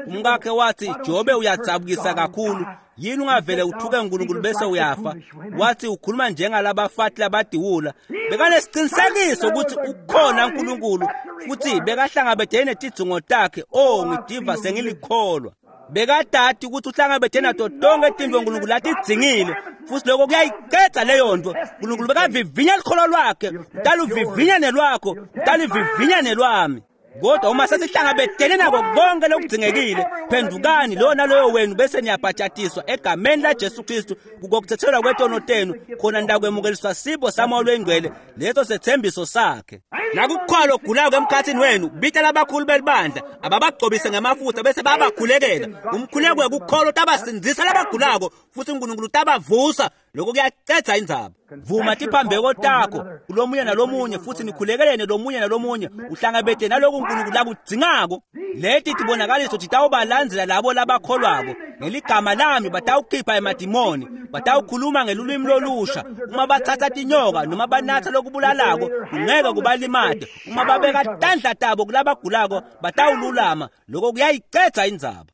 Umkakhe wathi Jobe uyadzabukisa kakhulu, yini ungavele uthuke uNkulunkulu bese uyafa? Wathi ukhuluma njengalabafati labadiwula. Bekanesiqinisekiso ukuthi ukhona uNkulunkulu futhi bekahlangabedene netidzingo takhe. Oh ngidiva sengilikholwa. Bekadati ukuthi uhlangabedene nato tonke tintfo uNkulunkulu latidzingile, futhi lokho kuyayicedza leyo nto. uNkulunkulu bekavivinya likholo lwakhe, utaluvivinya nelwakho, utalivivinya nelwami. Kodwa uma sesihlangabetene nako konke lokudzingekile, phendukani lowo naloyo wenu bese niyabhajatiswa egameni laJesu Kristu kukokuthethelwa kwetono tenu, khona nitakwemukeliswa sipho saMoya loyiNgcwele, leso sethembiso sakhe. Nakukhona ogulako emkhathini wenu, bita labakhulu belibandla ababagcobise ngemafutha bese bayabakhulekela. Umkhuleko wekukholwa utabasindzisa labagulako futhi uNkulunkulu utabavusa. Lokho kuyacedza indzaba. Vuma tiphambeko takho kulomunye nalomunye futhi nikhulekelene lomunye nalomunye, uhlangabete naloko uNkulunkulu lakudzingako. Leti tibonakaliso titawubalandzela labo labakholwako. Ngeligama lami batawukhipha emadimoni, batawukhuluma ngelulwimi lolusha. Uma batsatsa tinyoka noma banatsa lokubulalako, kungeke kubalimate. Uma babeka tandla tabo kulabagulako, batawululama. Lokho kuyayicedza indzaba.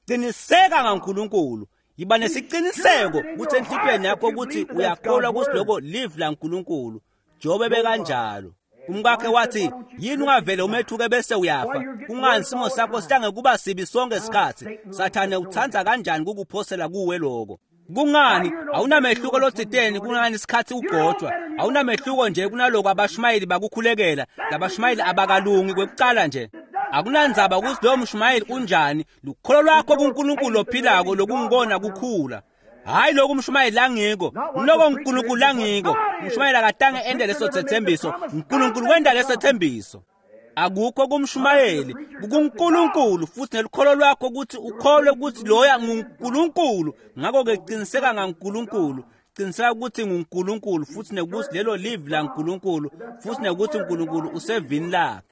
Qiniseka ngaNkulunkulu. Yiba nesiciniseko kutsi enhlitiyweni yakho ukuthi uyakholwa kutsi loko livi laNkulunkulu. Jobe bekanjalo. Umkakhe wathi, yini ungavele umethuke bese uyafa? Kungani simo sakho sihlange kuba sibi sonke isikhathi? Sathane utsandza kanjani kukuphosela kuwe lokho? Kungani awunamehluko lotsiteni kungani isikhathi ugcotshwa? Awunamehluko nje kunaloko abashumayeli bakukhulekela. Labashumayeli abakalungi kwekucala nje. Akunandzaba ukuthi lowo mshumayeli unjani, lukholo lwakho kuNkulunkulu ophilako lokungibona kukhula. Hayi lokhu umshumayeli langiko, ngiloko uNkulunkulu langiko. Umshumayeli akatange ende leso sethembiso, uNkulunkulu wenda leso sethembiso. Akukho kumshumayeli, kukuNkulunkulu futhi nelukholo lwakho ukuthi ukholwe ukuthi loya nguNkulunkulu. Ngakho-ke qiniseka ngaNkulunkulu, qiniseka ukuthi nguNkulunkulu futhi nekuthi lelo livi laNkulunkulu futhi nekuthi uNkulunkulu usevini lakhe.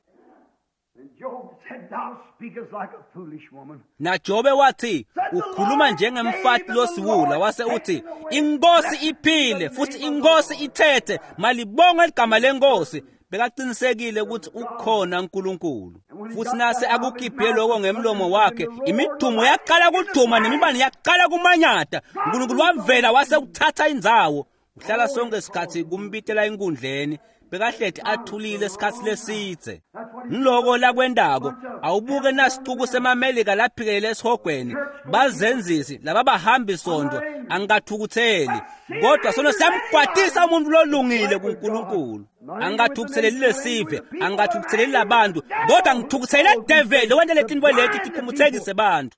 NaJobe wathi ukhuluma njengemfati losiwula, wase uthi inkosi iphile futhi inkosi ithethe, malibonga ligama lenkosi. Bekaqinisekile ukuthi ukhona uNkulunkulu. Futhi nase akukhiphe lokho ngemlomo wakhe, imidumo yaqala kuduma nemibane yaqala kumanyata. uNkulunkulu wavela wase uthatha indzawo. Uhlala sonke isikhathi kumbitela enkundleni, bekahleti athulile isikhathi lesidze. Ngiloko lakwendako, awubuke nasicuku semamelika laphikelele esihogweni, bazenzisi laba bahambi sondo, angathukutheli. Kodwa sono siyamkwatisa umuntu lolungile kuNkulunkulu. Angathukutheleli lesive, angathukutheleli labantu, kodwa ngithukuthelele devil wente letinto leti tiphumuthekise bantu.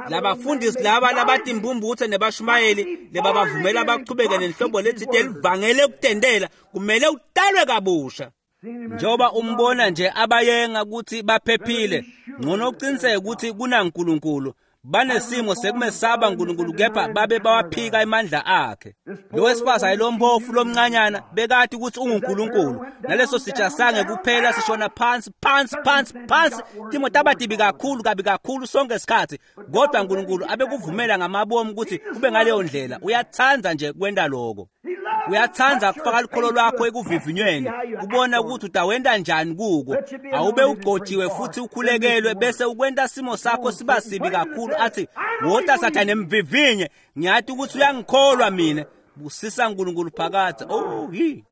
Labafundisi laba labatimbumbuthe nebashumayeli lebabavumela bachubeke nenhlobo letsite elivangele ukutendela, kumele utalwe kabusha. Njengoba umbona nje abayenga ukuthi baphephile, ngcono uqiniseke ukuthi kunaNkulunkulu. Banesimo sekumesaba uNkulunkulu kepha babe bawaphika emandla akhe. Lo wesifazane lompofu lomncanyana bekati ukuthi unguNkulunkulu. Naleso sitsha sange kuphela sishona phansi phansi phansi phansi. Timo tabatibi kakhulu kabi kakhulu sonke isikhathi, kodwa uNkulunkulu abekuvumela ngamabomu ukuthi kube ngaleyo ndlela. Uyathanda nje kwenda lokho. Uyathanda kufaka lukholo lwakho ekuvivinyweni, kubona ukuthi utawenda njani kuko. Awube ugcotshiwe futhi ukhulekelwe bese ukwenta simo sakho siba sibi kakhulu, athi wota Sathane mvivinye, ngiyathi ukuthi uyangikholwa mina. Busisa uNkulunkulu phakathi. Oh hi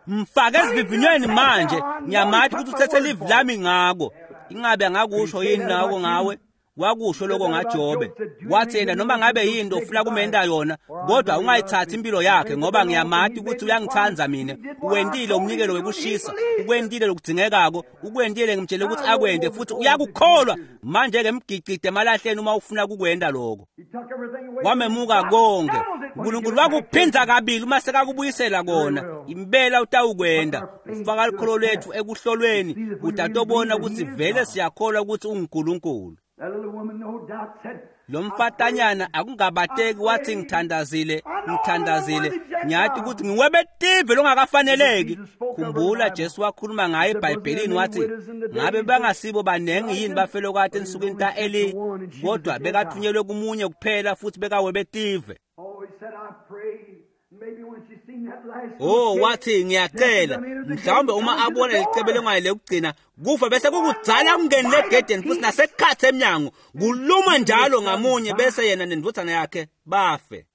mfake esivivinyweni manje, ngiyamathi ukuthi uthethe livi lami ngako. Ingabe angakusho yini nako ngawe? Wakusho lokho ngaJobe. Wathi yena noma ngabe yinto ufuna kumenda yona, kodwa ungayithathi impilo yakhe, ngoba ngiyamati ukuthi uyangithanda mina. Uwentile umnikelo wekushisa, ukwentile lokudzingekako, ukwentile ngimtshele ukuthi akwente futhi uyakukholwa. Manje ke mgicide emalahleni uma ufuna kukwenda lokho. Wamemuka konke. uNkulunkulu wakuphinza kabili uma sekakubuyisela kona. Impela utawukwenda. Ufaka lukholo lwethu ekuhlolweni, utatobona ukuthi vele siyakholwa ukuthi unguNkulunkulu. Lo mfatanyana akungabateki wathi ngithandazile, ngithandazile, ngiyathi ukuthi ngiwebetive longakafaneleki. Khumbula Jesu wakhuluma ngaye eBhayibhelini wathi ngabe bangasibo banengi yini bafelokati ensukwini ta-Eli, kodwa bekathunyelwe kumunye kuphela futhi bekawebetive. Oh wathi ngiyacela, mhlawumbe uma abona licebelengwane lekugcina kufa bese kukudzala kungeni legedeni futhi nasekhatsi emnyango kuluma njalo ngamunye, bese yena nendvodzana yakhe bafe.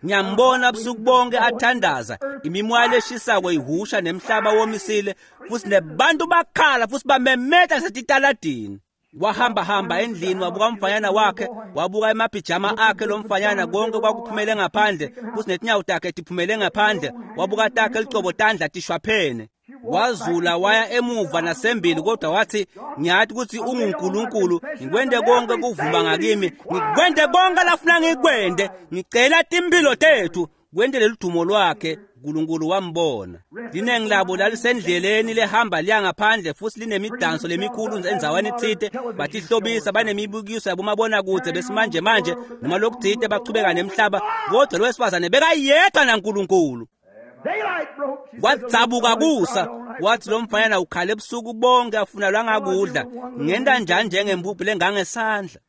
Ngiyambona busuku bonke athandaza, imimoya leshisako ihusha nemhlaba womisile futhi nebantu bakhala futhi bamemeta setitaladini. Wahamba hamba endlini, wabuka umfanyana wakhe, wabuka emapijama akhe lomfanyana, konke kwakuphumele ngaphandle, futhi netinyawo takhe tiphumele ngaphandle. Wabuka takhe licobo tandla tishwaphene. Wazula waya emuva nasembili, kodwa wathi, ngiyathi ukuthi unguNkulunkulu, ngikwende konke kuvuma ngakimi, ngikwende konke lafuna ngikwende, ngicela timpilo tethu. Kwende lelidumo lwakhe, uNkulunkulu wambona. Linengi labo lalisendleleni lehamba liya ngaphandle, futhi linemidanso lemikhulu endzaweni ethile, batihlobisa, banemibukiso yabomabonakude besimanje manje noma lokuthile, bachubeka nemhlaba, kodwa lo wesifazane bekayedwa naNkulunkulu. Kwadzabuka kusa, wathi lo mfanyana ukhala ebusuku bonke afuna lwangakudla, ngenta njani njengempuphu lengangesandla.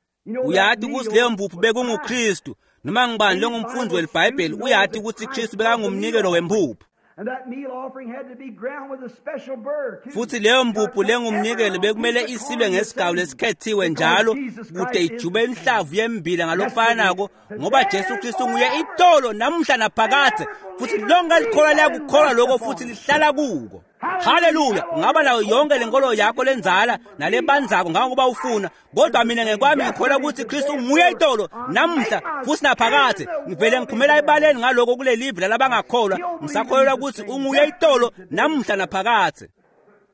Uyathi ukuthi leyo mpuphu bekunguKristu. Noma ngibani longumfundi weliBhayibheli uyathi ukuthi Kristu bekangumnikelo wempuphu. Futhi leyo mpuphu lengumnikelo bekumele isilwe ngesigawu lesikhethiwe njalo kude ijube inhlavu yembila ngalokufanako, ngoba Jesu Kristu nguye itolo namuhla naphakadze, futhi lonke likholwa liyakukholwa lokho futhi lihlala kuko. Haleluya! Ungaba nayo yonke lenkolo yakho lenzala nalebanzako ngangokuba ufuna, kodwa mina ngekwami ngikholwa ukuthi Kristu nguye itolo namuhla futhi naphakadze. Ngivele ngiphumela ebaleni ngaloko kulelive lalabangakholwa, ngisakholelwa ukuthi unguye itolo namuhla naphakadze.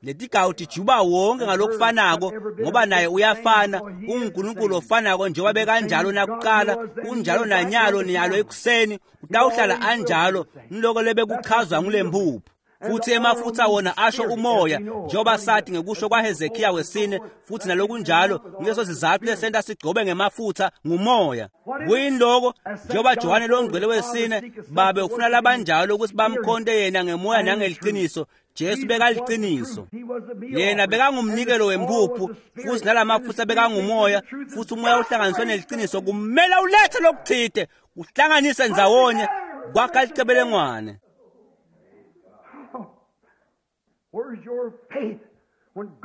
Letigawu tijuba wonke ngalokufanako, ngoba naye uyafana, unguNkulunkulu ofanako njengoba bekanjalo nakuqala, unjalo nanyalo niyalo ekuseni, utawuhlala anjalo niloko lebekuchazwa ngulempuphu. Futhi emafutha wona asho umoya, njengoba sathi ngekusho kwaHezekiya wesine, futhi nalokunjalo nguleso sizathu lesenta sigcobe ngemafutha ngumoya. Kuyini loko? Njengoba Johane longcwele wesine, babe ufuna labanjalo ukuthi bamkhonte yena ngemoya nangeliqiniso. Jesu bekaliqiniso, yena bekangumnikelo wempuphu, futhi nalamafutha bekangumoya, futhi umoya uhlanganiswe neliqiniso. Kumele ulethe lokuthile, uhlanganise ndzawonye kwakha licebelengwane.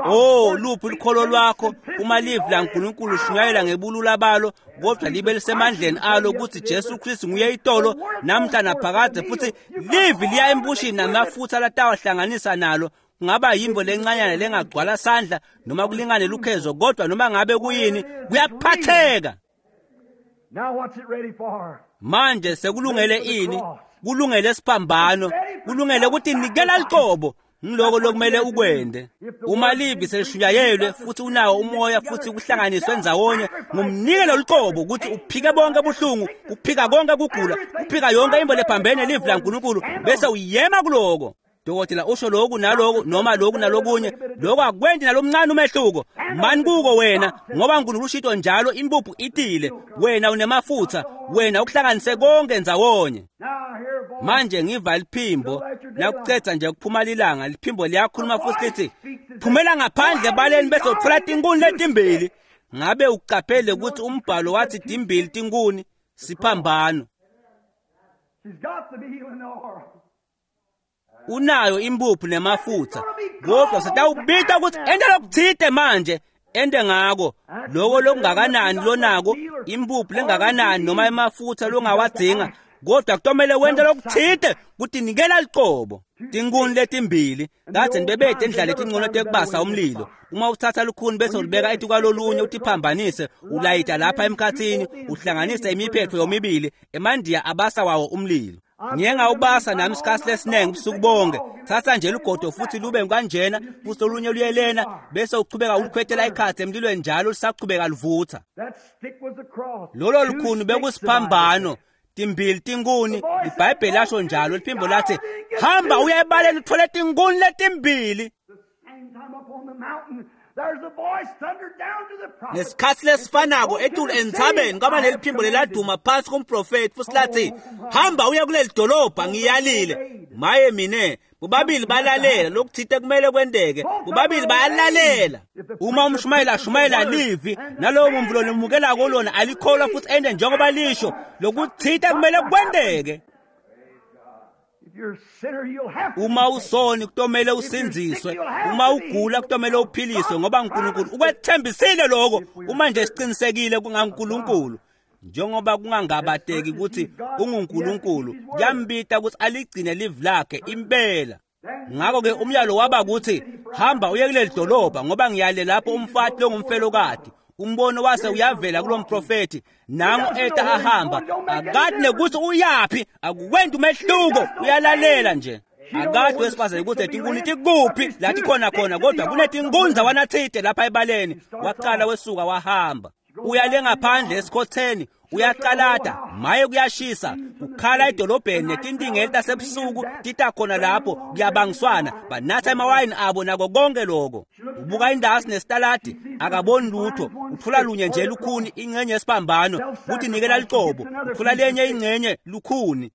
Oh, luphi lukholo lwakho uma livi laNkulunkulu lishunyayelwa ngebulula balo, kodwa libe lisemandleni alo ukuthi Jesu Kristu nguye itolo namhla naphakadze, futhi livi liya embushini namafutha latawahlanganisa nalo. Kungaba yimvo lencanyana lengagcwala sandla noma kulingane lukhezo, kodwa noma ngabe kuyini kuyaphatheka. Manje sekulungele ini? Kulungele siphambano, kulungele ukuthi nikela liqobo. Ngiloko lokumele ukwende. Uma livi selishunyayelwe futhi unawo umoya futhi kuhlanganiswe ndzawonye ngumnikelo liqobo ukuthi uphike bonke buhlungu, uphika konke kugula, uphika yonke imbo lephambene livi laNkulunkulu, bese uyema kuloko. Dokotela usho lokhu naloku noma lokhu nalokunye, lokho akwendi nalomncane umehluko. Mani kuko wena, ngoba uNkulunkulu ushito njalo, impuphu itile, wena unemafutha, wena ukuhlanganise konke ndzawonye. Manje ngiva liphimbo nakucetha nje kuphuma lilanga, liphimbo liyakhuluma futhi lithi, phumela ngaphandle baleni bese uthola tinkuni letimbili. Ngabe uqaphele ukuthi umbhalo wathi timbili tinkuni? Siphambano. Unayo impuphu nemafutha, kodwa setawubita ukuthi ente lokuthile manje, ente ngako loko lokungakanani lonako, impuphu lengakanani noma emafutha longawadzinga, kodwa kutomele wente lokuthile ukuthi nikela liqobo. Tinkuni letimbili kade nibebede endlela letincono tekubasa umlilo. Uma uthatha lukhuni bese ulibeka etikwalolunye utiphambanise, ulayita lapha emkhathini, uhlanganise imiphetho yomibili, emandiya abasa wawo umlilo. Ngiye ngawubasa nami isikhathi lesiningi ubusuku bonke. Thatha nje lugodo futhi lube kanjena, futhi olunye luyelena, bese uchubeka ulukhwetela ikhathi emlilweni njalo lisachubeka livutha. Lolo lukhuni bekusiphambano, timbili tinkuni, iBhayibheli lasho njalo. Liphimbo lathi, hamba uye ebaleni uthole tinkuni letimbili. Ngesikhathi lesifanako etulu entsabeni kwaba neliphimbo leladuma phansi kumprofethi futhi lathi, hamba uye kuleli dolobha ngiyalile. Maye mine, bobabili balalela lokuthite kumele kwenteke, bobabili bayalalela. Uma umshumayeli ashumayela livi nalowo muntu lomukelako lona alikholwa futhi ende njengoba lisho, lokuthite kumele kwenteke. Uma usoni kutomele usindziswe, uma ugula kutomele uphiliswe, ngoba uNkulunkulu ukwethembisile lokho. Uma nje siqinisekile kungaNkulunkulu, njengoba kungangabateki ukuthi unguNkulunkulu, kuyambita ukuthi aligcine livi lakhe impela. Ngakho ke umyalo waba ukuthi Hamba uye kuleli dolobha ngoba ngiyale lapho umfati longumfelokati. Umbono wase uyavela kulo mprofethi, nangu eta ahamba, akati nekuthi uyaphi, akukwenti umehluko, uyalalela nje. Akati wesifazane ukuthi tinkuni tikuphi lathi khona khona, kodwa kunetinkunza wanathide lapha ebaleni. Waqala wesuka wahamba. Uyale ngaphandle esikhotheni, uyaqalata, maye kuyashisa, kukhala edolobheni netintingeli tasebusuku tita khona lapho kuyabangiswana, banatha emawayini abo nako konke lokho. Ubuka indasi nesitaladi, akaboni lutho, uthola lunye nje lukhuni ingxenye yesiphambano, kuthi nikela licobo, uthola lenye ingxenye lukhuni.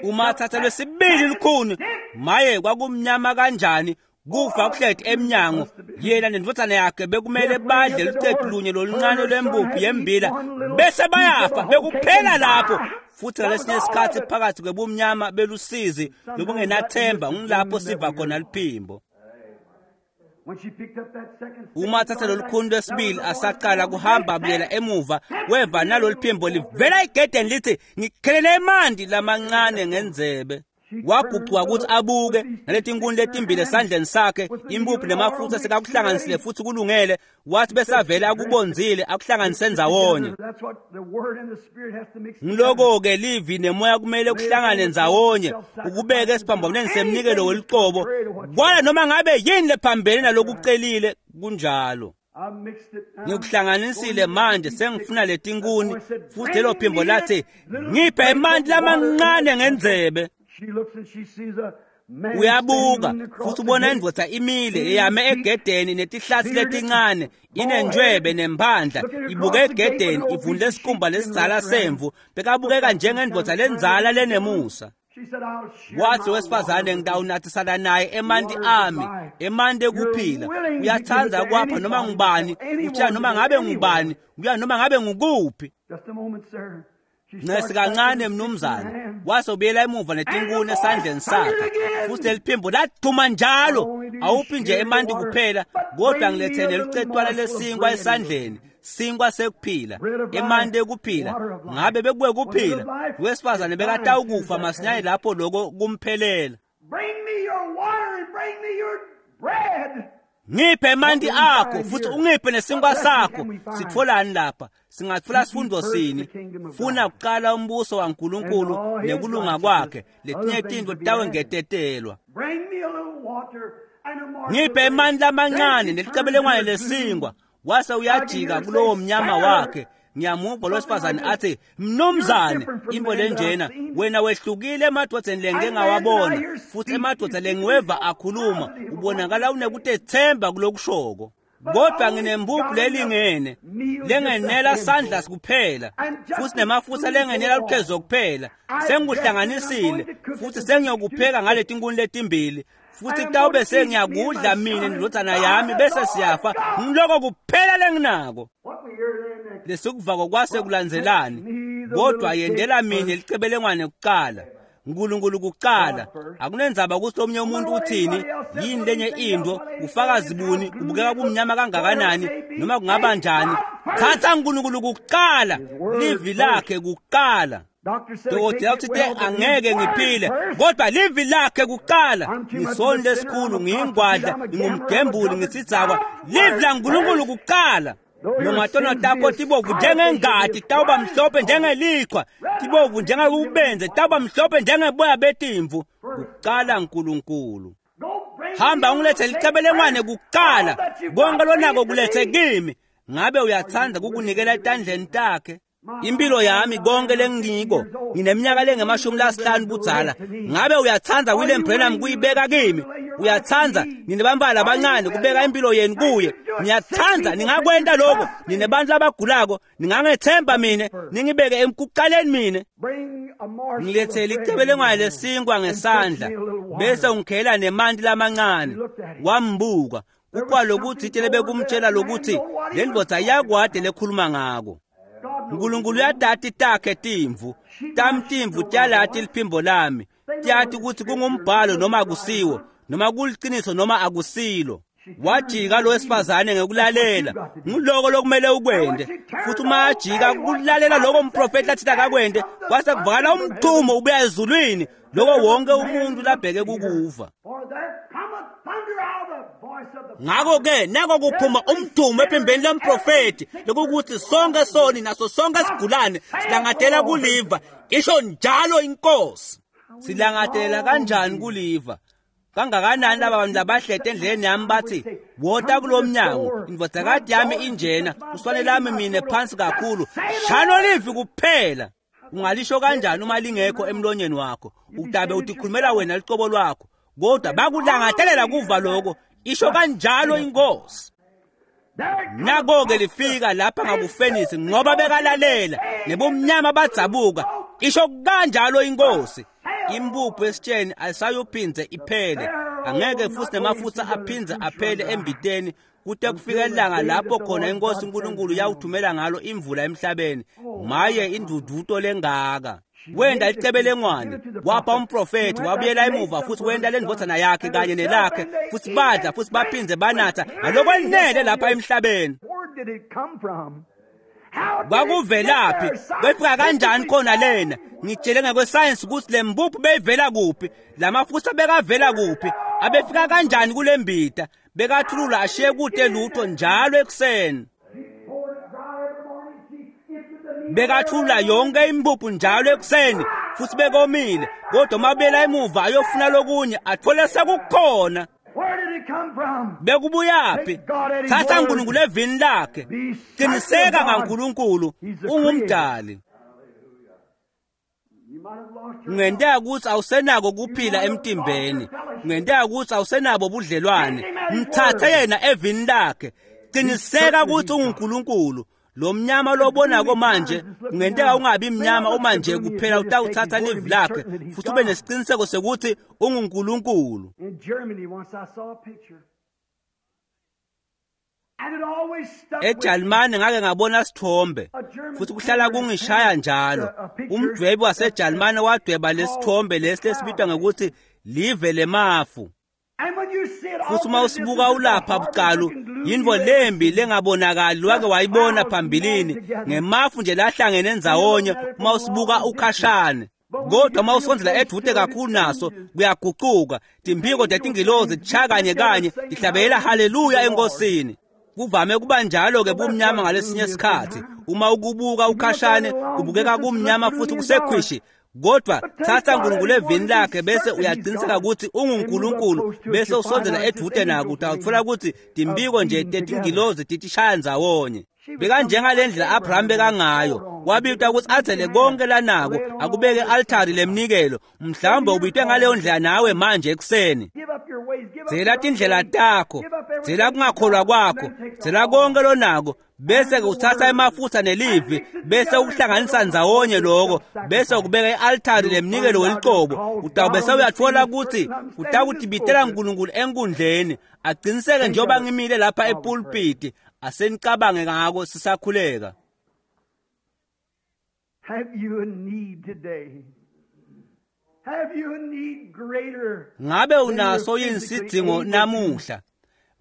Uma athatha lwesibili lukhuni, maye kwakumnyama kanjani, kufa kuhleti emnyango. Yena nendvodzana yakhe bekumele badle lucetu lunye loluncane lwembuphu yembila bese bayafa, bekuphela lapho. Futhi ngalesinye isikhathi phakathi kwebumnyama belusizi lobungenathemba ngilapho siva khona liphimbo. Uma athatha lolukhuni lwesibili asaqala kuhamba abuyela emuva, weva nalolu phimbo livela egedeni lithi, ngikhelele emanti lamancane ngendzebe. Wagucuka ukuthi abuke naletinkuni letimbili esandleni sakhe, impuphu nemafutha sekakuhlanganisile futhi kulungele. Wathi besavele akubonzile akuhlanganise ndzawonye. Ngiloko-ke livi nemoya kumele kuhlangane ndzawonye, ukubeke esiphambanweni semnikelo welicobo, kwala noma ngabe yini lephambene nalokucelile. Kunjalo. Ngikuhlanganisile manje, sengifuna letinkuni. Futhi lelo phimbo lathi, ngiphe emanti lamancane ngendzebe. Uyabuka futhi ubona indvodza imile eyame egedeni netihlasi letincane, inentshwebe nemphandla, ibuke egedeni, ivunule isikhumba lesidzala semvu, bekabukeka njengendvodza lendzala lenemusa. Wathi wesifazane, ngitawunathisana naye emanti ami, emanti ekuphila. Uyathanda kwapha noma ngubani, utshela noma ngabe ngubani, uya noma ngabe ngukuphi. Ncesi kancane mnumzane, wasobuyela emuva netinkuni esandleni sakhe, futhi leliphimbo lathuma njalo, awuphi nje emanti kuphela, kodwa ngilethele lucetwana lesinkwa esandleni, sinkwa sekuphila, emanti ekuphila. Ngabe bekuwe kuphila, wesifazane bekatawukufa masinyane lapho lokho kumphelela. Ngiphe emanti akho futhi ungiphe nesinkwa sakho. Sitholani lapha? Singathola sifundo sini? Funa kuqala umbuso waNkulunkulu nekulunga kwakhe, letinye tintfo titawengetetelwa. Ngiphe emanti lamancane nelicebelengwane lesinkwa. Wase uyajika kulowo mnyama wakhe. Ngiyamuva lowesifazane athi, mnumzane, into lenjena, wena wehlukile emadvodzeni lengike ngawabona, futhi emadvodza lengiweva akhuluma, ubonakala unekutethemba kulokushoko. Kodwa nginembuphu lelingene lengenela sandla kuphela, futhi nemafutha lengenela lukhezo kuphela. Sengikuhlanganisile futhi sengiyokupheka ngaletinkuni letimbili, futhi kutawube sengiyakudla mina nendvodzana yami bese siyafa. Ngiloko kuphela lenginako. Lesikuvako kwase kulandzelani, kodwa yendela mina licebelengwane kuqala, uNkulunkulu kuqala. Akunendzaba ukuthi omunye umuntu uthini, yini lenye into, ufakazi buni, ubukeka kumnyama kangakanani, noma kungaba njani. Thatha uNkulunkulu kuqala, livi lakhe kuqala. Dokotela uthi angeke ngiphile, kodwa livi lakhe kuqala. Ngisoni lesikhulu, ngiyingwadla, ngingumgembuli, ngisidzakwa. Livi laNkulunkulu kuqala. Noma tono takho tibovu njengengati, tawuba mhlophe njengeliqhwa, tibovu njengekubenze, tawuba mhlophe njengeboya betimvu. Kuqala uNkulunkulu. Hamba ungilethe licebelengwane kuqala, konke lonako kulethe kimi. Ngabe uyathanda kukunikela etandleni takhe? Impilo yami konke lengiko, ngineminyaka lengemashumi lasihlanu budzala. Ngabe uyathanda William Branham kuyibeka kimi? Uyathanda nine bambala abancane kubeka impilo yenu kuye? Niyathanda ningakwenta lokho? Nine bantu labagulako, ningangethemba mina, ningibeke emkuqaleni mina. Ngilethele icebelengwane lesinkwa ngesandla, bese ungikhela nemanti lamancane. Wambuka kukwalokuthi itele bekumtshela lokuthi le ndvodza iyakwade lekhuluma ngako. uNkulunkulu uyatati takhe timvu, tami timvu tiyalati liphimbo lami, tiyati ukuthi kungumbhalo noma akusiwo, noma kuliciniso noma akusilo. Wajika lo wesifazane ngekulalela, nguloko lokumele ukwente. Futhi uma ajika kulalela lokho umprofeti athi akakwente, kwase kuvakala umthumo ubuya ezulwini, lokho wonke umuntu labheke kukuva. Ngakho-ke nako kuphuma umdumo ephimbeni lomprofethi lokukuthi sonke soni naso sonke sigulane silangatela kuliva, isho njalo inkosi. Silangatela kanjani kuliva? Kangakanani laba bantu labahlete endleleni yami bathi wota kulo mnyango, indvodzakati yami injena, uswane lami mine phansi kakhulu, shano livi kuphela. Ungalisho kanjani uma lingekho emlonyeni wakho? Utabe utikhulumela wena licobo lwakho, kodwa bakulangatelela kuva lokho, isho kanjalo inkosi. Nako-ke lifika lapha ngakufenisi ngoba bekalalela, nebumnyama badzabuka, isho kanjalo inkosi. Impuphu esitsheni ayisayuphindze iphele, angeke futhi nemafutha aphindze aphele embiteni kute kufika ilanga lapho khona inkosi uNkulunkulu yawuthumela ngalo imvula emhlabeni. Maye induduto lengaka! Wenda licebelengwane wapha umprofethi, wabuyela emuva futhi wenda lendvodzana yakhe kanye nelakhe, futhi badla futhi baphindze banatha ngalokwanele lapha emhlabeni. Kwakuvelaphi? Kwefika kanjani khona lena? Ngitshele ngekwesayensi ukuthi le mbuphu beyivela kuphi, lamafutha bekavela kuphi, abefika kanjani kule mbita? Bekathulula ashiye kude lutho njalo ekuseni. Bekathulula yonke impuphu njalo ekuseni futhi bekomile, kodwa mabuyela emuva ayofuna lokunye athole sekukhona. Bekubuyaphi? Thatha uNkulunkulu evini lakhe, qiniseka ngaNkulunkulu, ungumdali. Kungenteka ukuthi awusenako kuphila emtimbeni, kungenteka ukuthi awusenabo budlelwane, mthathe yena evini lakhe, qiniseka ukuthi unguNkulunkulu. Lo mnyama lobonako manje kungenteka ungabi mnyama uma nje kuphela utawuthatha livi lakhe futhi ube nesiqiniseko sekuthi unguNkulunkulu. EJalimane ngake ngabona sithombe futhi kuhlala kungishaya njalo. Umdwebi waseJalimane wadweba lesithombe lesi lesibitwa ngokuthi live lemafu. Futhi uma usibuka ulapha bucalu, yinvo lembi lengabonakali wake wayibona phambilini, ngemafu nje lahlangene ndzawonye uma usibuka ukhashane. Kodwa uma usondzela edude kakhulu naso kuyagucuka, timphiko tetingilozi tishaya kanye kanye tihlabela haleluya enkosini. Kuvame kuba njalo-ke bumnyama ngalesinye isikhathi, uma ukubuka ukhashane kubukeka kumnyama futhi kusekhwishi, kodwa thatha uNkulunkulu evini lakhe bese uyaqiniseka ukuthi unguNkulunkulu, bese usondzela edude nako, utawutfola ukuthi timbiko nje tetingilozi titishaya ndzawonye. Bekanjengale ndlela Abraham bekangayo, wabitwa ukuthi athele konke lanako akubeke altari lemnikelo. Mhlawumbe ubitwe ngaleyo ndlela nawe manje ekuseni. Dzela tindlela takho, dzela kungakholwa kwakho, dzela konke lonako, bese uthatha emafutha nelivi, bese ukuhlanganisa ndzawonye lokho, bese ukubeka i-altari lemnikelo welicobo. Utawube sewuyatfola ukuthi utakutibitela uNkulunkulu enkundleni, aqiniseke njengoba ngimile lapha epulpiti. Asenicabange ngako sisakhuleka. Have you a need today? Have you a need greater? Ngabe unaso yini sidzingo namuhla?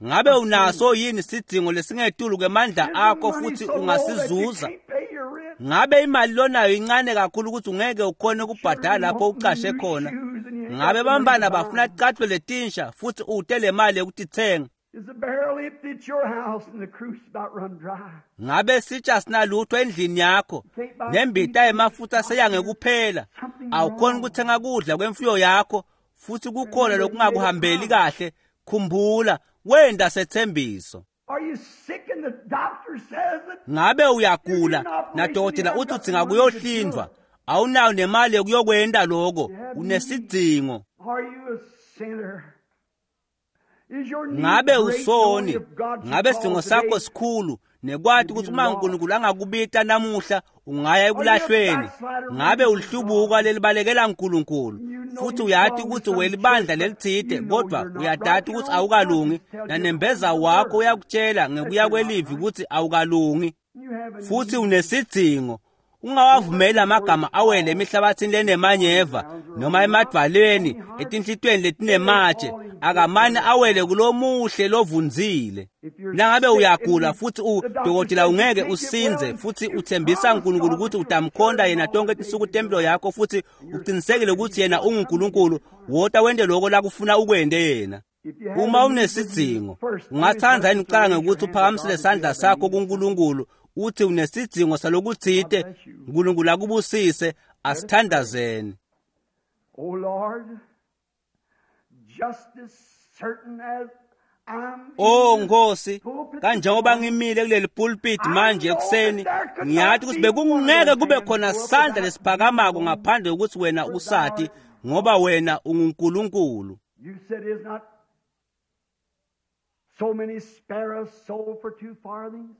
Ngabe unaso yini sidzingo lesingetulu kwemandla akho futhi ungasizuza? Ngabe imali lonayo incane kakhulu ukuthi ungeke ukhone ukubhadala lapho ucashe khona? Ngabe bambana bafuna ticathulo letinsha futhi ute le mali yokutithenga? Is the barrel empty at your house and the cruse about run dry? Ngabe sitsha sinalutho endlini yakho nembita yemafutha seyangekuphela, awukhoni ukuthenga kudla kwemfuyo yakho futhi kukhona lokungakuhambeli kahle? Khumbula wenda sethembiso. Are you sick and the doctor says it? Ngabe uyagula nadokotela uthi udzinga kuyohlindwa, awunayo nemali yokuyokwenda lokho, unesidzingo. Are you a sinner? Is your need Ngabe great usoni? knowing if God should Ngabe call sidingo sakho today? sikhulu nekwati ukuthi uma uNkulunkulu angakubita namuhla ungaya ekulahlweni? Ngabe ulihlubuka lelibalekela uNkulunkulu futhi uyati ukuthi welibandla lelithide, kodwa uyadata ukuthi awukalungi, nanembeza wakho uyakutshela ngekuya kwelivi ukuthi awukalungi You have a futhi unesidzingo. Ungawavumeli amagama awele emihlabathini lenemanyeva noma emadvaleni etinhlitweni letinematshe, akamane awele kulomuhle lovunzile. Nangabe uyagula futhi udokotela ungeke usinze futhi uthembisa uNkulunkulu ukuthi utamkhonda yena tonke tinsuku tempilo yakho futhi uqinisekile ukuthi yena unguNkulunkulu, wota wente lokho lakufuna ukwente yena. Uma unesidzingo, ungatsandza yini kucala ngekuthi uphakamisele sandla sakho kuNkulunkulu uthi unesidzingo salokutsite? Nkulunkulu akubusise. Asithandazeni. O Lord, just as certain as Oh Nkosi, kanjengoba ngimile kuleli pulpit manje ekuseni, ngiyathi ukuthi bekungeke kube khona sandla lesiphakamako ngaphandle kokuthi wena usati, ngoba wena unguNkulunkulu. You said is not so many sparrows sold for two farthings.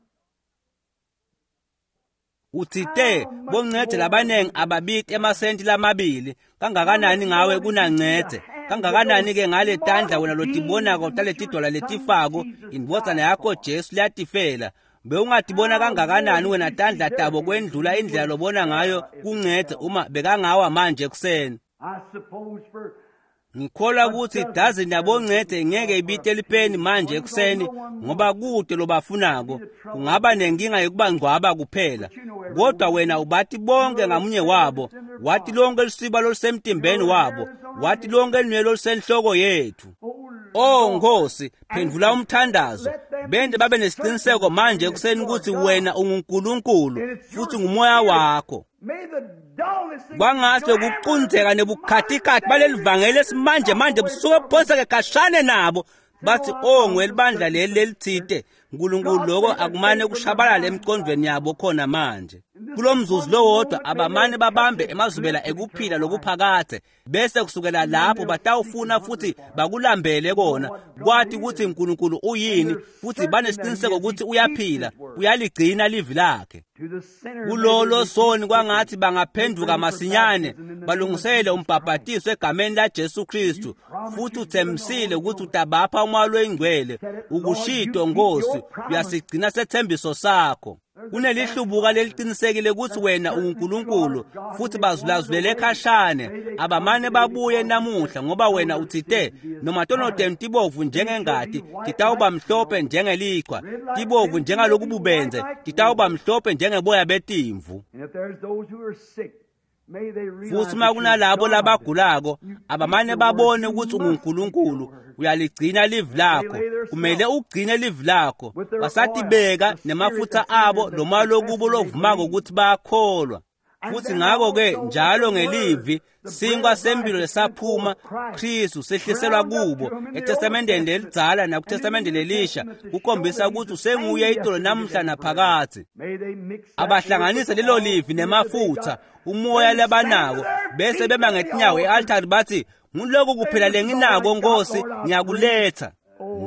Utsite boncede labanengi ababiti emasenti lamabili, kangakanani ngawe kunancede, kangakanani ke ngale tandla wena lotibonako taletidwala letifako, indvodzana yakho Jesu liyatifela. Bewungatibona kangakanani wena tandla tabo kwendlula indlela lobona ngayo kuncede uma bekangawa manje ekuseni. I suppose for Ngikholwa ukuthi idazini yaboncede ngeke ibite elipeni manje ekuseni, ngoba kude lobafunako kungaba nenkinga yokubangcwaba kuphela. Kodwa wena ubati bonke ngamunye wabo, wathi lonke lusiba lolusemtimbeni wabo, wathi lonke lunwele olusenhloko yethu. Oh Nkosi, phendvula umthandazo. Bende babe nesiqiniseko manje ekuseni ukuthi wena unguNkulunkulu futhi ngumoya wakho. may the dullness and Kwangathi kuqunzeka nebukhatikhathi baleli vangeli esimanje manje busuke buphonseke khashane nabo bathi oh ngwelibandla leli lelithite. Nkulunkulu, lokho akumane kushabalala emqondweni yabo khona manje. Kulo mzuzu lowodwa abamane babambe emazubela ekuphila lokuphakathe, bese kusukela lapho batawufuna futhi bakulambele kona kwathi ukuthi uNkulunkulu uyini, futhi banesiqiniseko ukuthi uyaphila, uyaligcina livi lakhe. to the sinner Kulolo soni kwangathi bangaphenduka masinyane balungisele umbhabhatiso egameni laJesu Kristu, futhi uthembisile ukuthi utabapha umoya loyingcwele. Ukushito Nkosi, uyasigcina sethembiso sakho. Kunelihlubuka leliqinisekile ukuthi wena unguNkulunkulu, futhi bazulazulele khashane abamane babuye namuhla, ngoba wena utsite noma tono tenu tibovu njengengati titawuba mhlophe njengelichwa, tibovu njengalokububenze titawuba mhlophe njengeboya betimvu. And if there's those who are sick, may they realize Futhi uma that you're kunalabo God. labagulako, abamane babone ukuthi unguNkulunkulu, uyaligcina livi lakho. Kumele ugcine livi lakho. Basatibeka nemafutha abo noma lokubo lovumako ukuthi bayakholwa. Futhi ngakho-ke njalo ngelivi sinkwa sempilo lesaphuma Kristu sehliselwa kubo eTestamenteni lelidzala nakuTestamente lelisha, kukhombisa ukuthi usenguye itolo namuhla naphakadze. May they mix that Abahlanganise word with lelo all livi the spirit nemafutha they got. umoya labanako, bese bema ngetinyawo e-altari bathi nguloko kuphela lenginako Nkosi, ngiyakuletha.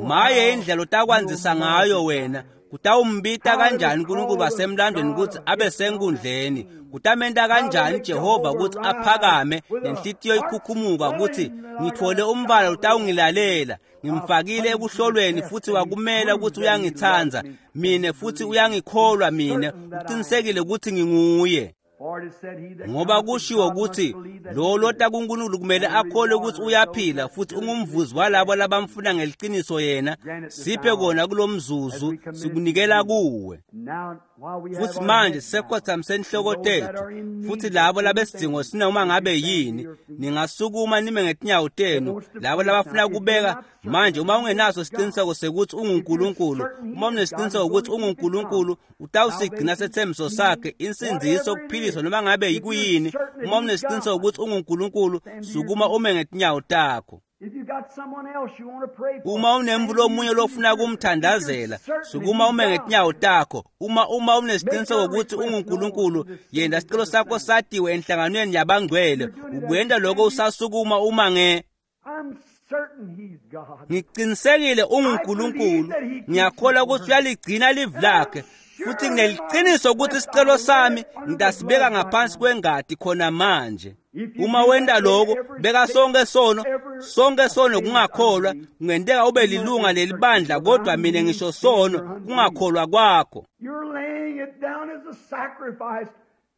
Maye indlela otakwandzisa ngayo wena. Kutawumbita kanjani uNkulunkulu wasemlandweni ukuthi abe senkundleni? Kutamenta kanjani Jehova ukuthi aphakame nenhlitiyo ikhukhumuka ukuthi ngithole umbala utawungilalela? Ngimfakile ekuhlolweni futhi wakumela ukuthi uyangitsandza mine futhi uyangikholwa mine, uqinisekile ukuthi nginguye. For it is said, he that Ngoba cometh to kushiwo God must ukuthi believe that lo he is. lota kuNkulunkulu kumele akholwe ukuthi uyaphila futhi ungumvuzi walabo labamfuna ngeliqiniso yena. Siphe kona kulo mzuzu, sikunikela kuwe. Now, while we have Futhi our manje heads bowed, sisekhothamisa inhloko tethu, futhi labo labesidingo sinoma ngabe yini, ningasukuma nime ngetinyawo tenu. Labo labafuna kubeka manje, uma ungenaso isiqiniseko sekuthi unguNkulunkulu, uma unesiqiniseko ukuthi unguNkulunkulu, utawusigcina sethembiso sakhe, insindiso, ukuphiliswa, noma ngabe kuyini. Uma unesiqiniseko ukuthi unguNkulunkulu, sukuma ume ngetinyawo takho. if you got someone else you want to pray for, Uma unemvu lomunye lofuna kumthandazela, sukuma ume ngetinyawo takho. Uma uma unesiqiniseko ukuthi unguNkulunkulu, yenda sicelo sakho satiwe enhlanganweni yabangcwele. Ukwenda lokho usasukuma uma nge I'm certain he's God. ngiqinisekile unguNkulunkulu. Ngiyakholwa ukuthi uyaligcina livi lakhe, futhi ngineliqiniso ukuthi isicelo sami ngitasibeka ngaphansi kwengadi khona manje. Uma wenda lokho, beka sonke sono, sonke sono kungakholwa. Kungenteka ube lilunga lelibandla, kodwa mina ngisho sono kungakholwa kwakho. You're laying it down as a sacrifice.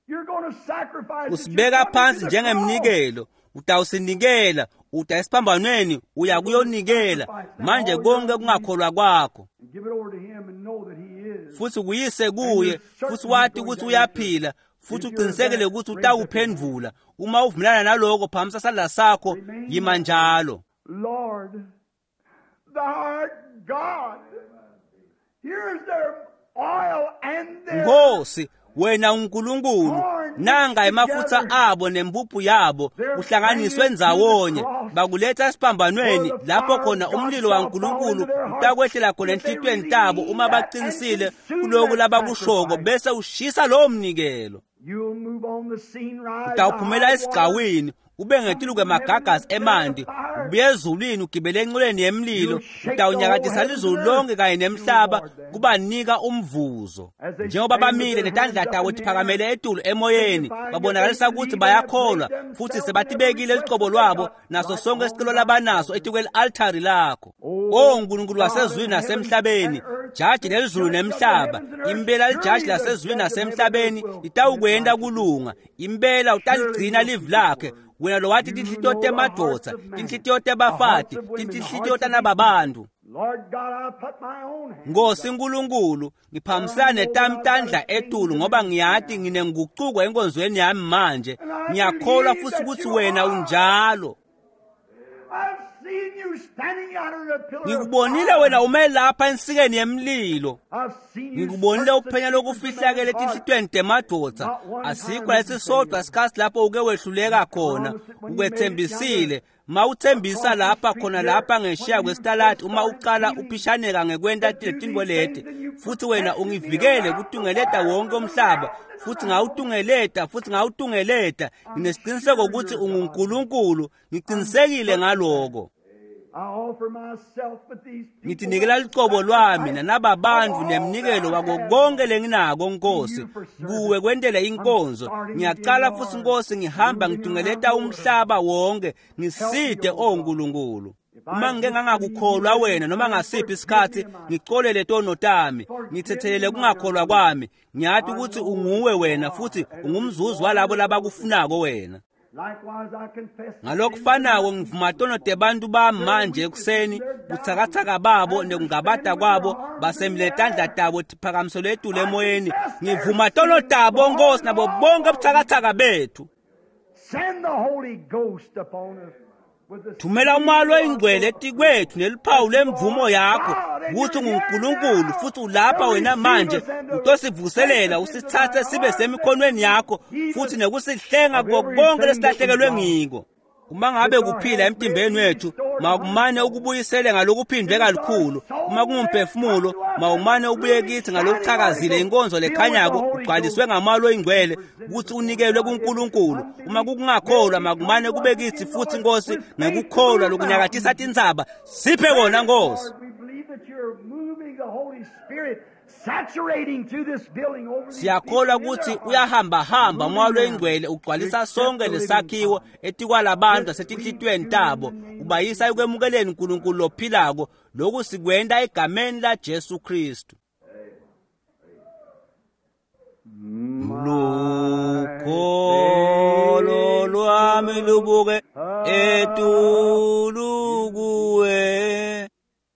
You're going to sacrifice. it. You're Usibeka coming to phansi the cross. njengemnikelo, utawusinikela, uta esiphambanweni, uya kuyonikela manje konke kungakholwa kwakho, And give it over to him and know that he is. futhi kuyise kuye, futhi wati ukuthi uyaphila, futhi uqinisekile ukuthi utawuphendvula. Uma uvumelana naloko, phamisa sandla sakho, yima njalo. Lord, Nkosi, wena uNkulunkulu, nanga emafutha abo nempuphu yabo kuhlanganiswe ndzawonye, bakuletha esiphambanweni lapho khona umlilo waNkulunkulu utakwehlela khona enhlitiyweni tabo uma baqinisile kuloku labakushoko, bese ushisa lowo mnikelo. Utawuphumela esigcawini ube ngetulu kwemagagasi emanti, ubuye ezulwini ugibele enqoleni yemlilo, utawunyakatisa lizulu lonke kanye nemhlaba kubanika umvuzo. Njengoba bamile netandla tabo tiphakamele etulu emoyeni, babonakalisa ukuthi bayakholwa futhi sebatibekile lucobo lwabo naso sonke isicelo labanaso etikweli-altari lakho. O Nkulunkulu wasezulwini nasemhlabeni, jaji lelizulu nemhlaba, impela lijaji lasezulwini nasemhlabeni litawukwenta kulunga, impela utaligcina livi lakhe. Wena lowathi tinhlitiyo temadvodza, tinhlitiyo tebafati, tinhlitiyo tanababantu. Nkosi Nkulunkulu, ngiphambisana netami tandla etulu ngoba ngiyati nginengucuko enkonzweni yami manje. Ngiyakholwa futhi ukuthi wena unjalo. Ngikubonile wena ume lapha ensikeni yemlilo. Ngikubonile uphenya lokufihlakele etinhlitiyweni temadvodza. Asikho lesisodwa isikhathi lapho uke wehluleka khona. Ukwethembisile. Mawuthembisa lapha khona lapha ngeshiya kwesitalati uma uqala uphishaneka ngekwenta letintfo leti, futhi wena ungivikele kutungeleta wonke umhlaba, futhi ngawutungeleta futhi ngawutungeleta. Nginesiqiniseko ukuthi unguNkulunkulu, ngiqinisekile ngaloko. Ngitinikela lucobo lwami nanababantu nemnikelo wako konke lenginako Nkosi, kuwe kwentele inkonzo. Ngiyacala futhi Nkosi, ngihamba ngitungeleta umhlaba wonke, ngiside o Nkulunkulu. Uma ngike ngangakukholwa wena noma ngasiphi isikhathi, ngicolele tono tami, ngithethelele kungakholwa kwami. Ngiyati ukuthi unguwe wena futhi ungumzuzi walabo labakufunako wena. Ngalokufanako ngivuma tono tebantu bami manje ekuseni, butsakatsaka babo nekungabata kwabo, basemile tandla tabo tiphakamiselwe etulu emoyeni. Ngivuma tono tabo Nkosi nabo bonke butsakatsaka bethu. Thumela umoya loyingcwele etikwethu neliphawu lemvumo yakho ukuthi unguNkulunkulu futhi ulapha wena manje utosivuselela, usithathe sibe semikhonweni yakho futhi nekusihlenga kuko konke lesilahlekelwe ngiko. Uma ngabe kuphila emtimbeni wethu, mawumane ukubuyisele ngalokuphindwe kalukhulu. Uma kungumphefumulo, mawumane ubuye kithi ngalokuchakazile inkonzo lekhanyako ugcwaliswe ngamoya loyingcwele ukuthi unikelwe kuNkulunkulu. Uma kukungakholwa, makumane kube kithi futhi Nkosi ngekukholwa lokunyakatisa tintsaba. Siphe kona Nkosi. Siyakholwa ukuthi uyahambahamba umoya loyingcwele ugcwalisa sonke lesakhiwo etikwalabantu asetinhlitiyweni tabo, ubayisa ekwemukeleni uNkulunkulu lophilako. Lokhu sikwenta egameni laJesu Kristu. Lukholo lwami lubuke etulu kuwe,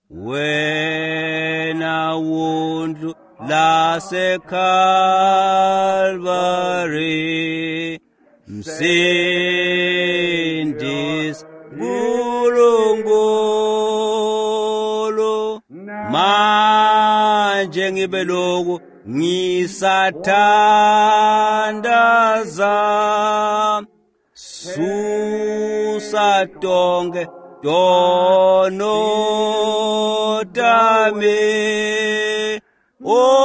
wena wundlu laseKalvari, Msindisi Nkulunkulu. Manje ngibe lokhu ngisathandaza, susa tonke tono tami, ungavumi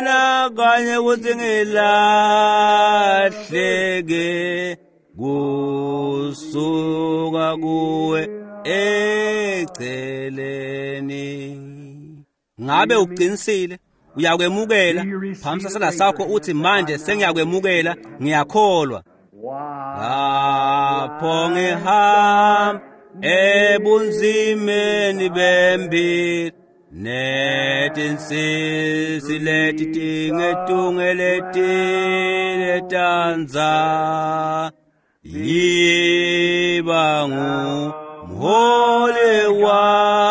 nakanye ukuthi ngilahleke kusuka kuwe eceleni. Ngabe uqinisile? Uyakwemukela? Phamisa sandla sakho uthi manje sengiyakwemukela, ngiyakholwa. Lapho ngihamba ebunzimeni bempilo, netinsisi leti tingetungeletile tandza, yiba ngumholi wami,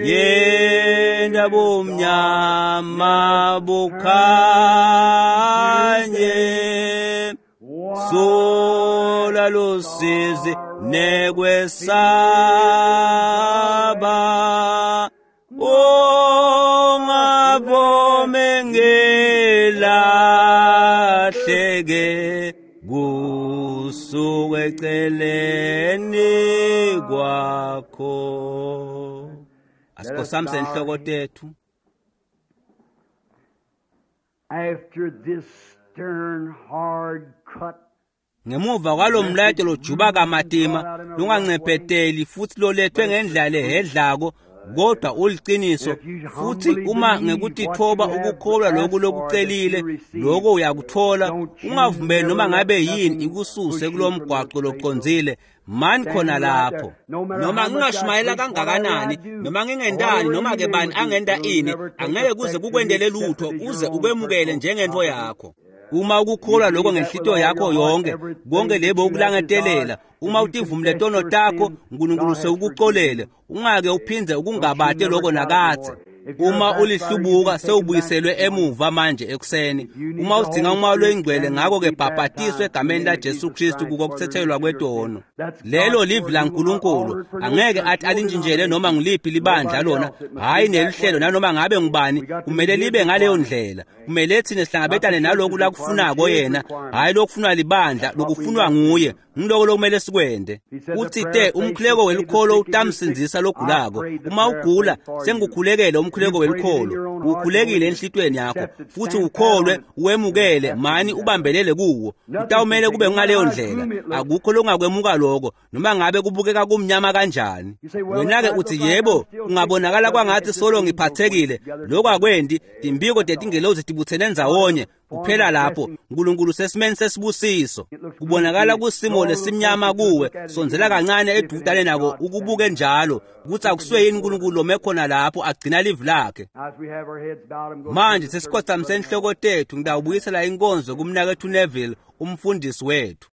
yenda bumnyama bukhanye, sula lusizi nekwesaba. Ungesaba, ungavumi ngilahleke kusuka eceleni kwakho. Asikhosamise inhloko tethu. After this stern, hard cut, Ngemuva kwalomlayeto lojuba kamatima lungancebheteli futhi lolethwe ngendlela lehedlako kodwa uliciniso, futhi uma ngekutithoba ukukholwa lokhu lokucelile lokho uyakuthola, ungavumeli noma ngabe yini ikususe kulomgwaqo locondzile. Mani khona lapho. Noma ngingashumayela kangakanani, noma ngingendani, noma ke bani angenta ini, angeke kuze kukwendele lutho uze ukwemukele njengento yakho. Uma ukukholwa lokho ngenhlitiyo yakho yonke, konke lebo ukulangetelela, uma utivumile tono takho, uNkulunkulu sewukuxolele, ungake uphindze ukungabate lokho nakadze. Uma ulihlubuka sewubuyiselwe emuva manje ekuseni. Uma udzinga umoya loyingcwele, ngakho ke bhabhatiswe egameni laJesu Kristu kukokuthethelwa kwetono. Lelo livi laNkulunkulu, angeke athi alintshintshele noma ngiliphi libandla lona, hhayi nelihlelo nanoma ngabe ngubani, kumele libe ngaleyo ndlela. Kumele thina sihlangabetane naloku lakufunako yena, hhayi lokufunwa libandla, lokufunwa nguye. Ngiloko lokumele sikwende. Uthi te umkhuleko welukholo utamsindzisa logulako. Uma ugula, sengikukhulekele umkhuleko welukholo. Ukhulekile enhlitiyweni yakho futhi ukholwe, uwemukele, mani ubambelele kuwo. Utawumele kube ngaleyo ndlela. Akukho lokungakwemuka lokho, noma ngabe kubukeka kumnyama kanjani. Wena-ke uthi yebo, kungabonakala kwangathi solo ngiphathekile. Lokho akwendi, timbiko tetingelozi tibutsene ndzawonye. Kuphela lapho uNkulunkulu sesimeni sesibusiso. Kubonakala kusimo lesimnyama kuwe, sondzela kancane edudane nako ukubuke njalo ukuthi akusuye yini uNkulunkulu lome khona lapho agcina livi lakhe. As we have our heads bowed, I'm going Manje sesikhothamise inhloko tethu, ngitawubuyisela inkonzo kumnakethu Neville, umfundisi wethu.